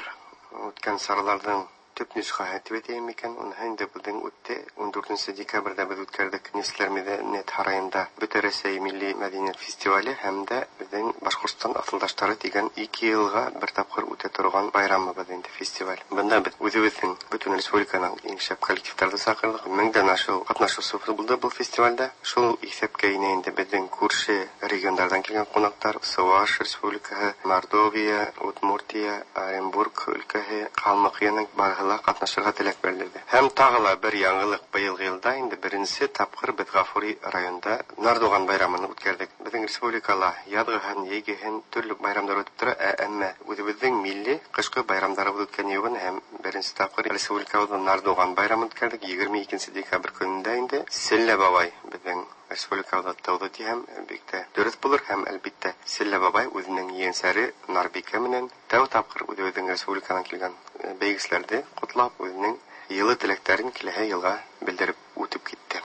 Speaker 6: үткән сараларның төп нөсхәһе дип әйтәйем микән, уныһы инде безнең үтте. 14 декабрьдә без үткәрдек Нефтьләр мәдәният һараенда Бөтә Рәсәй милли мәдәният фестивале һәм дә безнең Башкортстан асылдаштары дигән 2 елга бер тапкыр үтә торган байрамыбыз инде фестиваль. Бында без үзебезнең бөтен республиканың иң шәп коллективтарды чакырдык. Меңдән ашык катнашучы булды был фестивальдә. Шул исәпкә инә инде безнең күрше региондардан килгән кунаклар, Чуваш республикаһы, Мордовия, Удмуртия, Оренбург өлкәһе, Калмыкияның барыһы катнашырга теләк белдерде. Һәм тагы ла бер яңалык быелгы елда инде беренче тапкыр без Гафури районында Нардуган байрамын үткәрдек. Безнең республикала язгы һәм җәйге һәм төрле байрамнар үтеп тора, әмма үзебезнең милли кышкы байрамнарыбыз үткән югын һәм беренче тапкыр республикабызда Нардуган байрамын үткәрдек. 22 декабрь көнендә инде Селлә бабай безнең республикабызда тауды һәм бик тә дөрес булыр һәм әлбиттә Селлә бабай үзенең ейәнсәре Нарбикә менән тәү тапкыр үзебезнең республикадан килгән бәйгеселәрде котлап, үзенең йылы теләкләрен киләһе елга белдереп үтеп китте.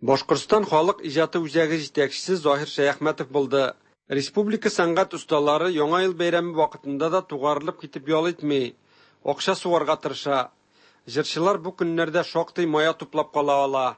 Speaker 5: Башкортстан халык иҗаты үзәге җитәкчесе Заһир Шәяхмәтов булды. Республика сәнгать осталары Яңа ел бәйрәме вакытында да тугарылып китеп ял итми, акча сугарга тырыша. Җырчылар бу көннәрдә шактый мая туплап кала ала.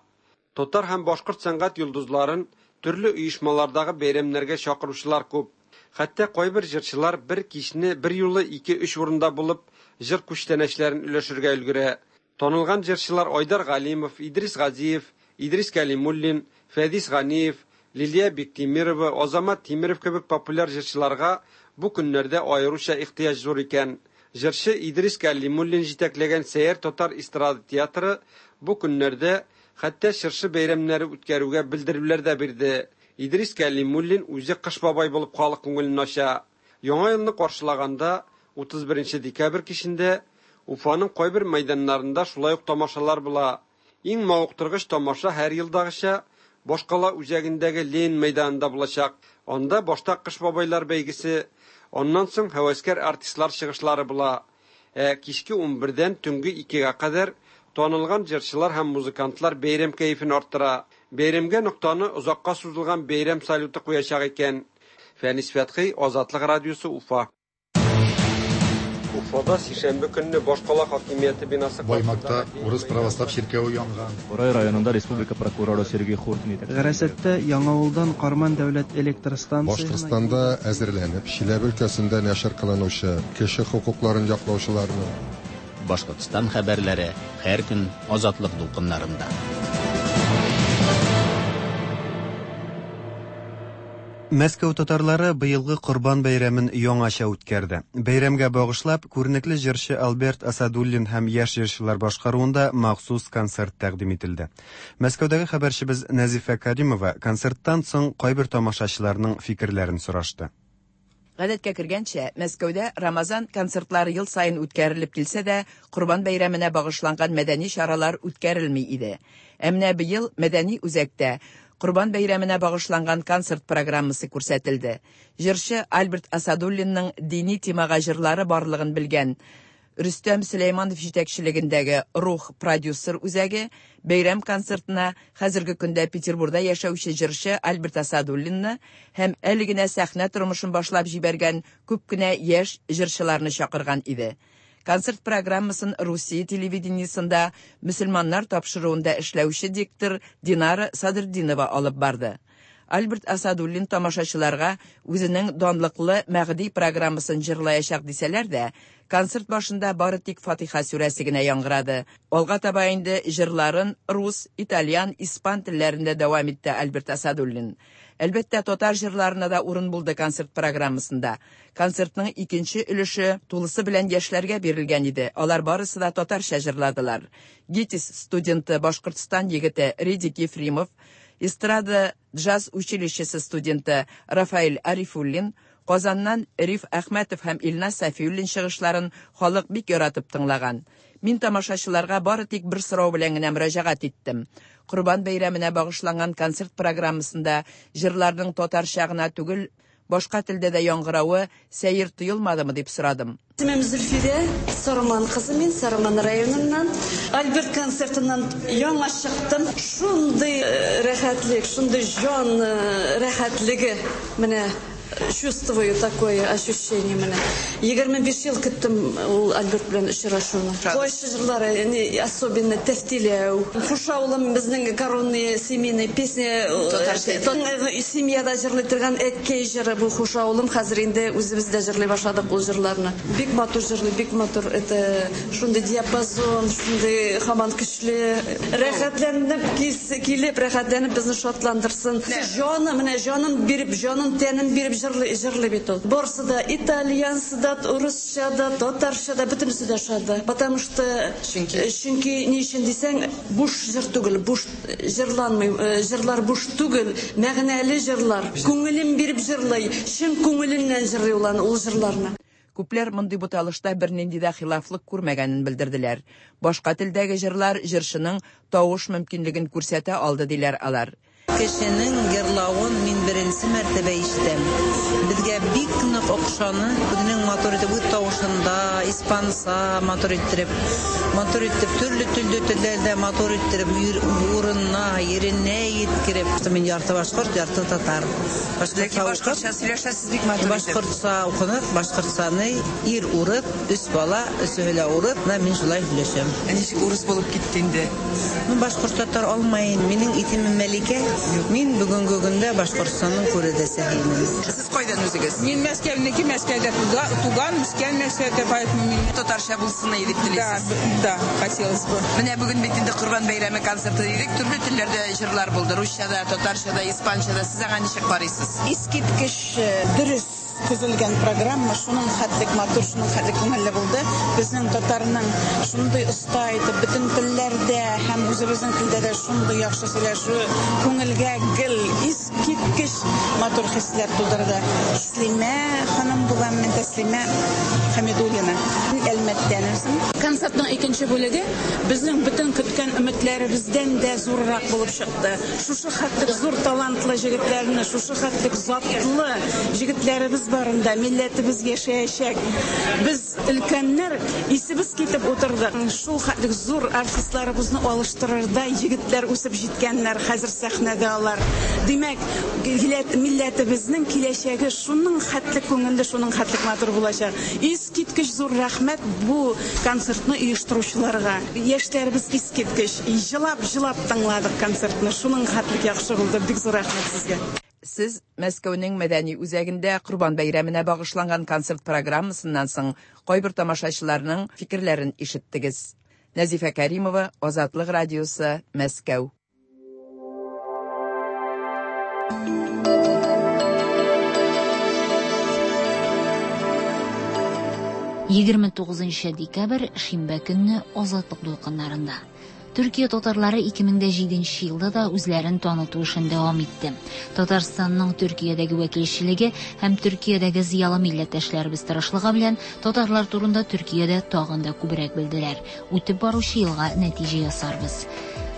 Speaker 5: Татар һәм башкорт сәнгать йолдызларын төрле оешмалардагы бәйрәмнәргә чакыручылар күп. Хәтта кайбер җырчылар бер кичне бер юлы 2-3 урында булып, җыр күчтәнәчләрен өләшергә өлгерә. Танылган җырчылар Айдар Галимов, Идрис Газиев, Идрис Кәлимуллин, Фәдис Ганиев, Лилия Биктимирова, Азамат Тимиров кебек популяр җырчыларга бу көннәрдә аеруча ихтыяҗ зур икән. Җырчы Идрис Кәлимуллин җитәкләгән Сәйяр татар эстрада театры бу көннәрдә хәтта чыршы бәйрәмнәре үткәрүгә белдерүләр дә бирде. Идрис Кәлимуллин үзе Кыш бабай булып халык күңелен ача. Яңа елны каршылаганда 31 декабрь кичендә Уфаның кайбер мәйданнарында шулай ук тамашалар була. Иң мавыктыргыч тамаша һәр елдагыча башкала үзәгендәге Ленин мәйданында булачак. Анда башта Кыш бабайлар бәйгесе, аннан соң һәвәскәр артистлар чыгышлары була. Ә кичке 11-дән төнге 2-гә кадәр танылган җырчылар һәм музыкантлар бәйрәм кәефен арттыра. Бәйрәмгә ноктаны озакка сузылган бәйрәм салюты куячак икән. Фәнис Фәтхи, Азатлык радиосы, Уфа. Уфада сишәмбе көнне башкала хакимияте бинасы
Speaker 8: Баймакта урыс православ чиркәве янган.
Speaker 9: Борай районында республика прокуроры Сергей Хуртин
Speaker 10: Гарасәттә Яңавылдан Карман дәүләт электр станциясенә
Speaker 11: Башкортстанда әзерләнеп, Чиләбе өлкәсендә нәшер кылынучы кеше хокукларын яклаучыларның
Speaker 1: Башкортстан хәбәрләре һәр көн Азатлык дулкыннарында.
Speaker 2: Мәскәү татарлары быелгы Корбан бәйрәмен яңача үткәрде. Бәйрәмгә багышлап, күренекле җырчы Альберт Асадуллин һәм яшь җырчылар башкаруында махсус концерт тәкъдим ителде. Мәскәүдәге хәбәрчебез Нәзифә Каримова концерттан соң кайбер тамашачыларның фикерләрен сорашты.
Speaker 12: Гадәткә кергәнчә, Мәскәүдә Рамазан концертлары ел саен үткәрелеп килсә дә, Корбан бәйрәменә багышланган мәдәни чаралар үткәрелми иде. Ә менә быел мәдәни үзәктә Корбан бәйрәменә багышланган концерт программасы күрсәтелде. Җырчы Альберт Асадуллинның дини темага җырлары барлыгын белгән Рөстәм Сөләйманов җитәкчелегендәге Рух продюсер үзәге бәйрәм концертына хәзерге көндә Петербурда яшәүче җырчы Альберт Асадуллинны һәм әле генә сәхнә тормышын башлап җибәргән күп кенә яшь җырчыларны чакырган иде. Концерт программасын Русия телевидениесендә мөселманнар тапшыруында эшләүче диктор Динара Садретдинова алып барды. Альберт Асадуллин тамашачыларга үзенең данлыклы Мәгъди программасын җырлаячак дисәләр дә, концерт башында бары тик Фатиха сүрәсе генә яңгырады. Алга таба инде җырларын рус, итальян, испан телләрендә дәвам итте Альберт Асадуллин. Әлбәттә, татар җырларына да урын булды концерт программасында. Концертның икенче өлеше тулысы белән яшьләргә бирелгән иде. Алар барысы да татарча җырладылар. ГИТИС студенты Башкортстан егете Редик Ефремов, эстрада джаз училищесы студенты Рафаэль Арифуллин, Казаннан Риф Әхмәтов һәм Илназ Сафиуллин чыгышларын халык бик яратып тыңлаган. Мин тамашачыларга бары тик бер сорау белән генә мөрәҗәгать иттем. Корбан бәйрәменә багышланган концерт программасында җырларның татарча гына түгел, башка телдә дә яңгыравы сәер тоелмадымы дип сорадым.
Speaker 15: Исемем Зөлфирә, Сарман кызы мин, Сарман районыннан. Альберт концертыннан яңа чыктым. Шундый рәхәтлек, шундый җан рәхәтлеге менә чувствую такое ощущение менә. 25 ел көттем ул Альберт белән очрашуны. Кайсы җырлары, особенно Тәфтиләү. Хушаулым безнең коронные семейные песни. Семьяда җырлый торган әткәй җыры бу Хушаулым. Хәзер инде үзебез дә җырлый башладык ул җырларны. Бик матур җырлый, бик матур. Это шундый диапазон, шундый һаман көчле. Рәхәтләнеп килеп, рәхәтләнеп безне шатландырсын. Җаны, менә җанын биреп, җанын, тәнен биреп җырлый, җырлый бит ул. Барысы да итальянсы да, урысча да, татарча да, бөтенесе дә ошады. Потому что чөнки, чөнки ни өчен дисәң, буш җыр түгел, буш җырланмый, җырлар буш түгел, мәгънәле җырлар. Күңелен биреп җырлый, чын күңеленнән җырлый ул аны, ул җырларны.
Speaker 12: Күпләр мондый буталышта бернинди дә хилафлык күрмәгәнен белдерделәр. Башка телдәге җырлар җырчының тавыш мөмкинлеген күрсәтә алды, диләр алар.
Speaker 16: Кешенең йырлавын мин беренче мәртәбә ишетәм. Безгә бик нык охшаны, үзенең матур итеп үз тавышында, испанса матур иттереп, матур итеп төрле төрле телләрдә матур иттереп урынына, еренә еткереп. Мин ярты башкорт, ярты татар.
Speaker 12: Ләкин башкортча сөйләшәсез бик матур итеп.
Speaker 16: Башкортча укынык, башкортчаны ир урып, өч бала, өчеһе лә урып, менә мин шулай сөйләшәм.
Speaker 12: Ә ничек урыс булып китте инде?
Speaker 16: Ну, башкорт татар алмаен. Минем исемем Мәликә. Мин бүгенге көндә Башкортстанның күрәдәсе инем.
Speaker 12: Сез кайдан үзегез?
Speaker 17: Мин Мәскәүнеке, Мәскәүдә туган, үскән Мәскәүдә, поэтому мин
Speaker 12: татарча булсын иде дип телисез.
Speaker 17: Да, да, хотелось бы.
Speaker 12: Менә бүген бит инде Корбан бәйрәме концерты дидек, төрле телләрдә җырлар булды. Русча да, татарча да, испанча да. Сез аңа ничек карыйсыз?
Speaker 18: Искиткеч дөрес төзелгән программа, шуның хәтлек матур, шуның хәтлек күңелле булды. Безнең татарның шундый оста итеп бөтен телләрдә һәм үзебезнең телдә дә шундый яхшы сөйләшүе күңелгә гел искиткеч матур хисләр тудырды. Тәслимә ханым булам мин, Тәслимә Хәмидуллина. Әлмәттән үзем.
Speaker 19: Концертның икенче бүлеге безнең бөтен көткән өметләребездән дә зуррак булып чыкты. Шушы хәтлек зур талантлы җегетләрне, шушы хәтлек затлы җегетләребез барында милләтебез яшәячәк. Без өлкәннәр исебез китеп утырдык. Шул хәтлек зур артистларыбызны алыштырырдай егетләр үсеп җиткәннәр, хәзер сәхнәдә алар. Димәк, милләтебезнең киләчәге шуның хәтлек күңелле, шуның хәтлек матур булачак. Искиткеч зур рәхмәт бу концертны оештыручыларга. Яшьләребез искиткеч. Җылап-җылап тыңладык концертны. Шуның хәтлек яхшы булды. Бик зур рәхмәт сезгә.
Speaker 12: Сез Мәскәүнең мәдәни үзәгендә Корбан бәйрәменә багышланган концерт программасыннан соң кайбер тамашачыларның фикерләрен ишеттегез. Нәзифә Кәримова, Азатлык радиосы, Мәскәү.
Speaker 13: 29 декабрь, шимбә көнне Азатлык дулкыннарында. Төркия татарлары 2007 елда да үзләрен таныту эшен дәвам итте. Татарстанның Төркиядәге вәкилчелеге һәм Төркиядәге зыялы милләттәшләребез тырышлыгы белән татарлар турында Төркиядә тагын да күбрәк белделәр. Үтеп баручы елга нәтиҗә ясарбыз.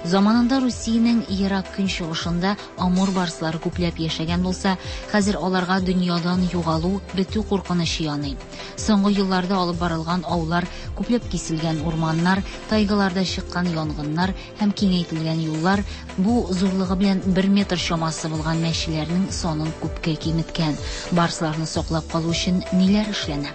Speaker 13: Заманында Русиянең Ерак Көнчыгышында амур барслары күпләп яшәгән булса, хәзер аларга дөньядан югалу, бетү куркынычы яный. Соңгы елларда алып барылган аулар, күпләп киселгән урманнар, тайгаларда чыккан янгыннар һәм киңәйтелгән юллар бу зурлыгы белән бер метр чамасы булган мәчеләрнең санын күпкә киметкән. Барсларны саклап калу өчен ниләр эшләнә?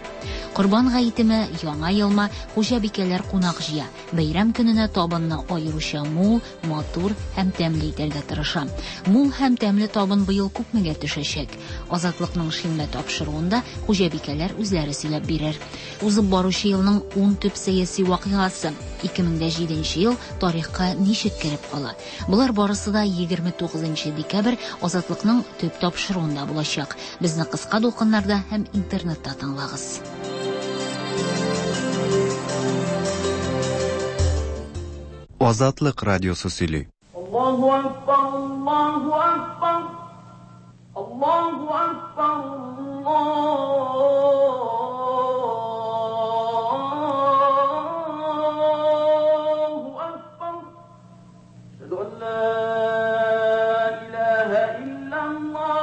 Speaker 13: Корбан гаетеме, Яңа елмы, хуҗабикәләр кунак җыя. Бәйрәм көненә табынны аеруча мул, матур һәм тәмле итәргә тырыша. Мул һәм тәмле табын быел күпмегә төшәчәк? Азатлыкның шимбә тапшыруында хуҗабикәләр үзләре сөйләп бирер. Узып баручы елның ун төп сәяси вакыйгасы. 2007 нче ел тарихка ничек кереп кала? Болар барысы да 29 декабрь Азатлыкның төп тапшыруында булачак. Безне кыска дулкыннарда һәм интернетта тыңлагыз.
Speaker 2: Азатлык радиосы сөйли.
Speaker 20: Аллаһу акбар, Аллаһу акбар, Аллаһу акбар, Аллаһу акбар. Әшһәду ан ла илаһа иллаллаһ.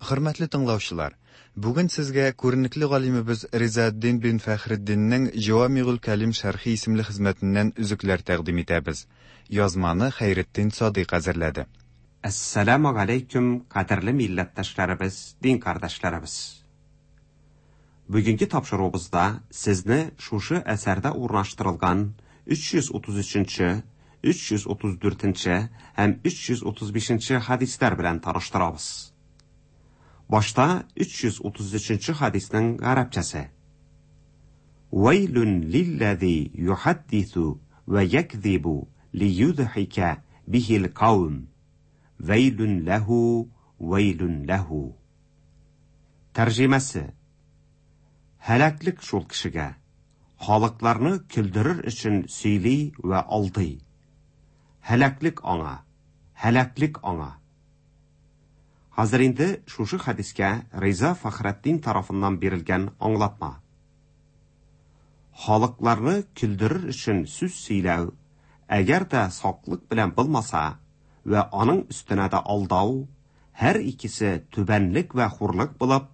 Speaker 2: Хөрмәтле тыңлаучылар, бүген сезгә күренекле галимебез Ризаэддин бин Фәхретдиннең Җавамигуль Кәлим шәрхи исемле хезмәтеннән өзекләр тәкъдим итәбез. Язманы Хәйретдин Садыйк әзерләде.
Speaker 21: Әссәламү галәйкүм, кадерле милләттәшләребез, дин кардәшләребез! Бүгенге тапшыруыбызда сезне шушы әсәрдә урнаштырылган 333 нче, 334 нче һәм 335 нче хәдисләр белән таныштырабыз. Башта 333 нче хәдиснең гарәпчәсе. Вәйлүн лилләзи юхаддису вә якзибу лиюдхика бихил каум. Вәйлүн ләһу, вәйлүн ләһу. Тәрҗемәсе. Һәлаклек шул кешегә, халыкларны көлдерер өчен сөйли вә алдый. Һәлаклек аңа, һәлаклек аңа. Хәзер инде шушы хәдискә Риза Фәхретдин тарафыннан бирелгән аңлатма. Халыкларны көлдерер өчен сүз сөйләү, әгәр дә саклык белән булмаса вә аның өстенә дә алдау, һәр икесе түбәнлек вә хурлык булып,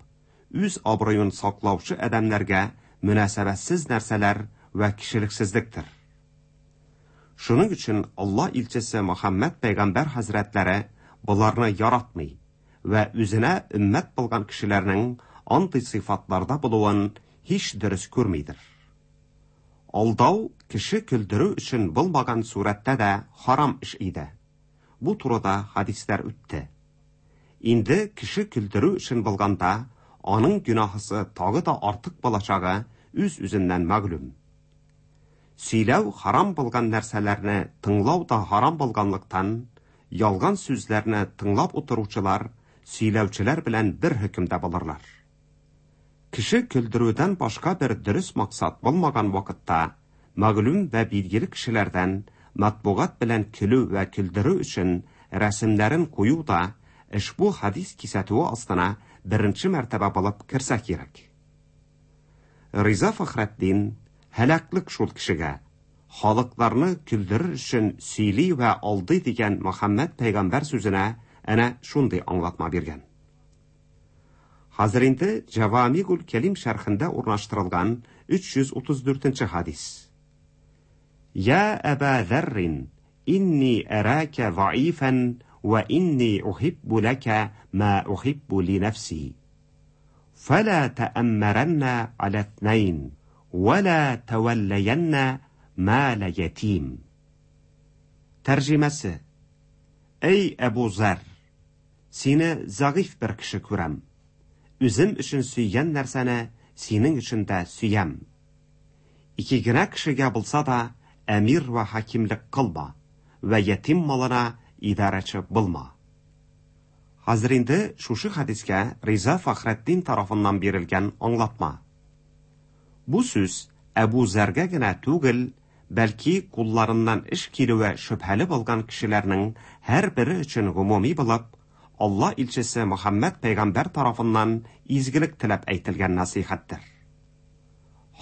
Speaker 21: үз абруен саклаучы адәмнәргә мөнәсәбәтсез нәрсәләр вә кешелексезлектер. Шуның өчен Алла илчесе Мөхәммәд пәйгамбәр хәзрәтләре боларны яратмый вә үзенә өммәт булган кешеләрнең андый сыйфатларда булуын һич дөрес күрмидер. Алдау кеше көлдерү өчен булмаган сурәттә дә харам эш иде. Бу турыда хәдисләр үтте. Инде кеше көлдерү өчен булганда, аның гөнаһысы тагы да артык булачагы үз-үзеннән мәгълүм. Сөйләү харам булган нәрсәләрне тыңлау да харам булганлыктан, ялган сүзләрне тыңлап утыручылар сөйләүчеләр белән бер хөкемдә булырлар. Кеше көлдерүдән башка бер дөрес максат булмаган вакытта, мәгълүм вә билгеле кешеләрдән матбугат белән көлү вә көлдерү өчен рәсемнәрен кую да ошбу хәдис кисәтүе астына беренче мәртәбә булып керсә кирәк. Риза Фәхретдин һәлаклек шул кешегә, халыкларны көлдерер өчен сөйли вә алдый дигән Мөхәммәд пәйгамбәр сүзенә әнә шундый аңлатма биргән. Хәзер инде Җавамигул Кәлим шәрхендә урнаштырылган 334 нче хәдис. Я Әба Зәррин, инни әрака заифан вә инни ухиббу ләкә ма ухиббу ли нәфси. Фәлә тәәммәрәннә галә итнәйн, вә лә тәвәлләйәннә малә ятим. Тәрҗемәсе, Әй Әбу Зәр! Сине зәгыйфь бер кеше күрәм. Үзем өчен сөйгән нәрсәне синең өчен дә сөям. Ике генә кешегә булса да әмир вә хакимлек кылма вә ятим малына идарәче булма. Хәзер инде шушы хәдискә Риза Фәхретдин тарафыннан бирелгән аңлатма. Бу сүз Әбу Зәргә генә түгел, бәлки кулларыннан эш килүе шөбһәле булган кешеләрнең һәрбере өчен гомуми булып, Алла илчесе Мөхәммәд пәйгамбәр тарафыннан изгелек теләп әйтелгән нәсыйхәттер.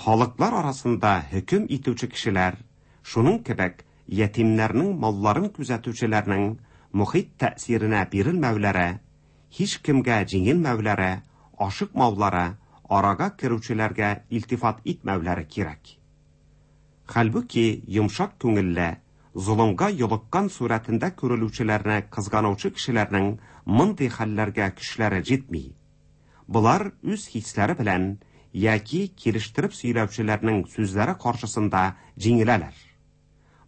Speaker 21: Халыклар арасында хөкем итүче кешеләр Шуның кебек ятимнәрнең малларын күзәтүчеләрнең мохит тәэсиренә бирелмәүләре, һичкемгә җиңелмәүләре, ашыкмаулары, арага керүчеләргә илтифат итмәүләре кирәк. Хәлбуки йомшак күңелле, золымга йолыккан сурәтендә күрелүчеләрне кызганучы кешеләрнең мондый хәлләргә көчләре җитми. Болар үз хисләре белән яки килештереп сөйләүчеләрнең сүзләре каршысында җиңеләләр.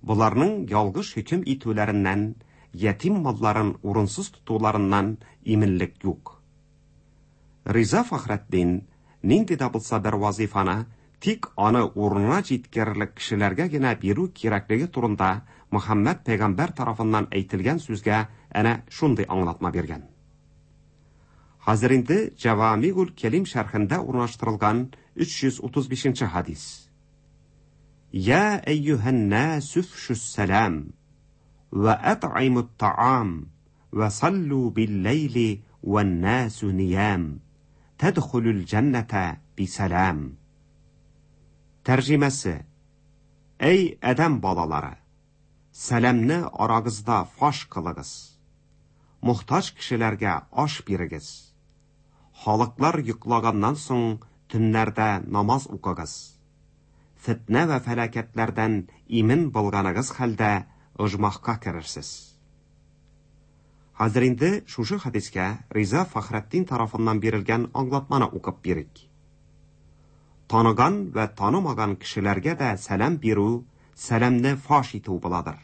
Speaker 21: Боларның ялгыш хөкем итүләреннән, ятим малларын урынсыз тотуларыннан иминлек юк. Риза Фәхретдин нинди дә булса бер вазифаны тик аны урынына җиткерерлек кешеләргә генә бирү кирәклеге турында Мөхәммәд пәйгамбәр тарафыннан әйтелгән сүзгә әнә шундый аңлатма биргән. Хәзер инде Җәвамигул Кәлим шәрхендә урнаштырылган 335 нче хәдис. Я әйюһән насу афшус сәлам вә ат'имут таам вә саллу бил-ләйли вән-насу ниям тәдхулул җәннәтә бисәлам. Тәрҗемәсе: Әй адәм балалары, сәламне арагызда фаш кылыгыз. Мохтаҗ кешеләргә аш бирегез. Халыклар йоклаганнан соң төннәрдә намаз укыгыз. Фетнә вә фәлакәтләрдән имин булганыгыз хәлдә оҗмахка керерсез. Хәзер инде шушы хәдискә Риза Фәхретдин тарафыннан бирелгән аңлатманы укып бирик. Таныган вә танымаган кешеләргә дә сәлам бирү, сәламне фаш итү буладыр.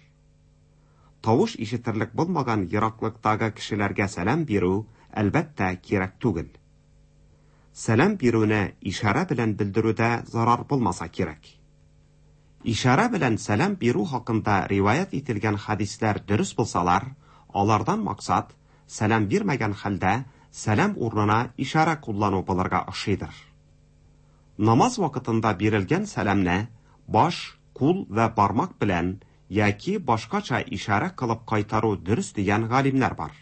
Speaker 21: Тавыш ишетерлек булмаган ераклыктагы кешеләргә сәлам бирү, әлбәттә, кирәк түгел. Сәлам бирүне ишарә белән белдерүдә зарар булмаса кирәк. Ишарә белән сәлам бирү хакында риваять ителгән хәдисләр дөрес булсалар, алардан максат, сәлам бирмәгән хәлдә сәлам урынына ишарә куллану булырга охшыйдыр. Намаз вакытында бирелгән сәламне баш, кул вә бармак белән яки башкача ишарә кылып кайтару дөрес дигән галимнәр бар.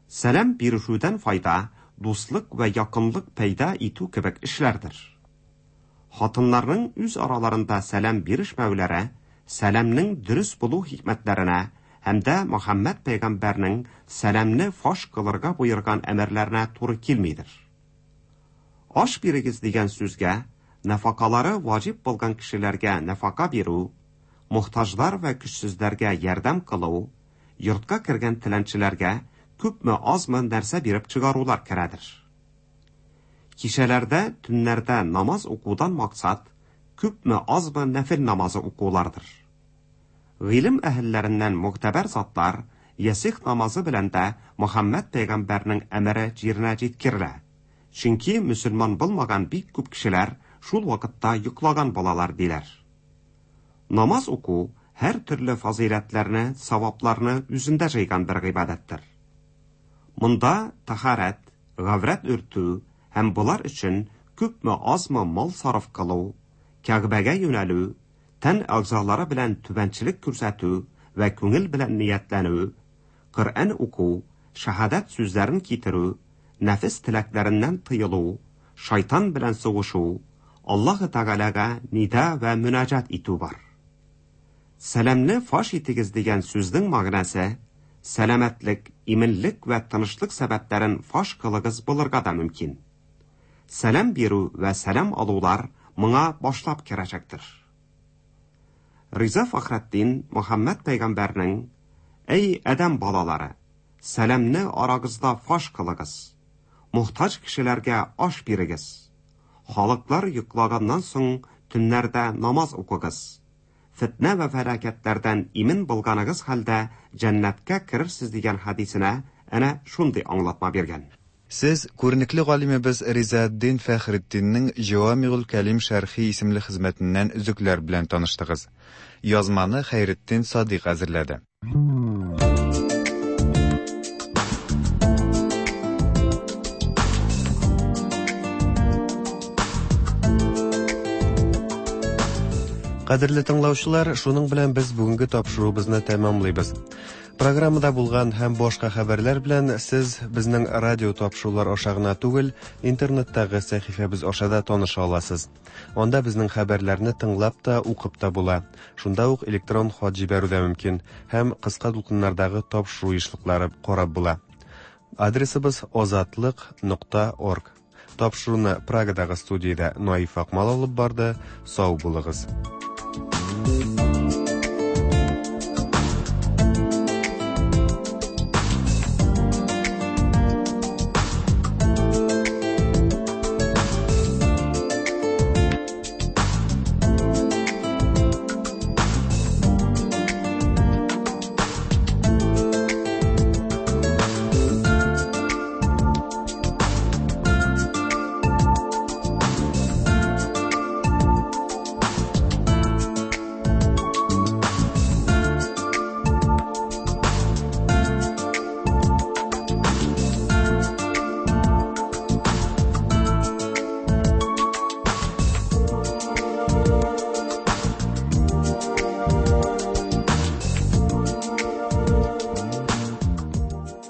Speaker 21: Сәлам бирешүдән файда дуслык вә якынлык пәйда итү кебек эшләрдер. Хатыннарның үз араларында сәлам бирешмәүләре сәламнең дөрес булу хикмәтләренә һәм дә Мөхәммәд пәйгамбәрнең сәламне фаш кылырга боерган әмерләренә туры килмидер. Аш бирегез дигән сүзгә нәфакалары ваҗиб булган кешеләргә нәфака бирү, мохтаҗлар вә көчсезләргә ярдәм кылу, йортка кергән теләнчеләргә күпме-азмы нәрсә биреп чыгарулар керәдер. Кичәләрдә, төннәрдә намаз укудан максат, күпме-азмы нәфел намазы укулардыр. Гыйлем әһелләреннән могтәбәр затлар ясигъ намазы белән дә Мөхәммәд пәйгамбәрнең әмере җиренә җиткерелә. Чөнки мөселман булмаган бик күп кешеләр шул вакытта йоклаган булалар, диләр. Намаз уку һәр төрле фазыйләтләрне, савапларны үзендә җыйган бер гыйбадәттер. Монда тәһарәт, гаврәт өртү һәм болар өчен күпме-азмы мал сарыф кылу, Кәгъбәгә юнәлү, тән әгъзалары белән түбәнчелек күрсәтү вә күңел белән ниятләнү, Коръән уку, шәһадәт сүзләрен китерү, нәфес теләкләреннән тыелу, шайтан белән сугышу, Аллаһы Тәгаләгә нида вә мөнәҗәт итү бар. Сәламне фаш итегез дигән сүзнең мәгънәсе, сәламәтлек, иминлек вә тынычлык сәбәпләрен фаш кылыгыз булырга да мөмкин. Сәлам бирү вә сәлам алулар моңа башлап керәчәктер. Риза Фәхретдин Мөхәммәд пәйгамбәрнең Әй адәм балалары, сәламне арагызда фаш кылыгыз. Мохтаҗ кешеләргә аш бирегез. Халыклар йоклаганнан соң төннәрдә намаз укыгыз. Фетнә вә фәлакәтләрдән имин булганыгыз хәлдә җәннәткә керерсез дигән хәдисенә әнә шундый аңлатма биргән.
Speaker 2: Сез күренекле галимебез Ризаэтдин Фәхретдиннең Җәвамигуль кәлим шәрхи исемле хезмәтеннән өзекләр белән таныштыгыз. Язманы Хәйретдин Садыйк әзерләде. Кадерле тыңлаучылар, шуның белән без бүгенге тапшыруыбызны тәмамлыйбыз. Программада булган һәм башка хәбәрләр белән сез безнең радио тапшырулар аша гына түгел, интернеттагы сәхифәбез аша да таныша аласыз. Анда безнең хәбәрләрне тыңлап та, укып та була. Шунда ук электрон хат җибәрү дә мөмкин һәм кыска дулкыннардагы тапшыру ешлыклары карап була. Адресыбыз озатлык.орг. Тапшыруны Прагадагы студиядә Наиф Акмал алып барды. Сау булыгыз.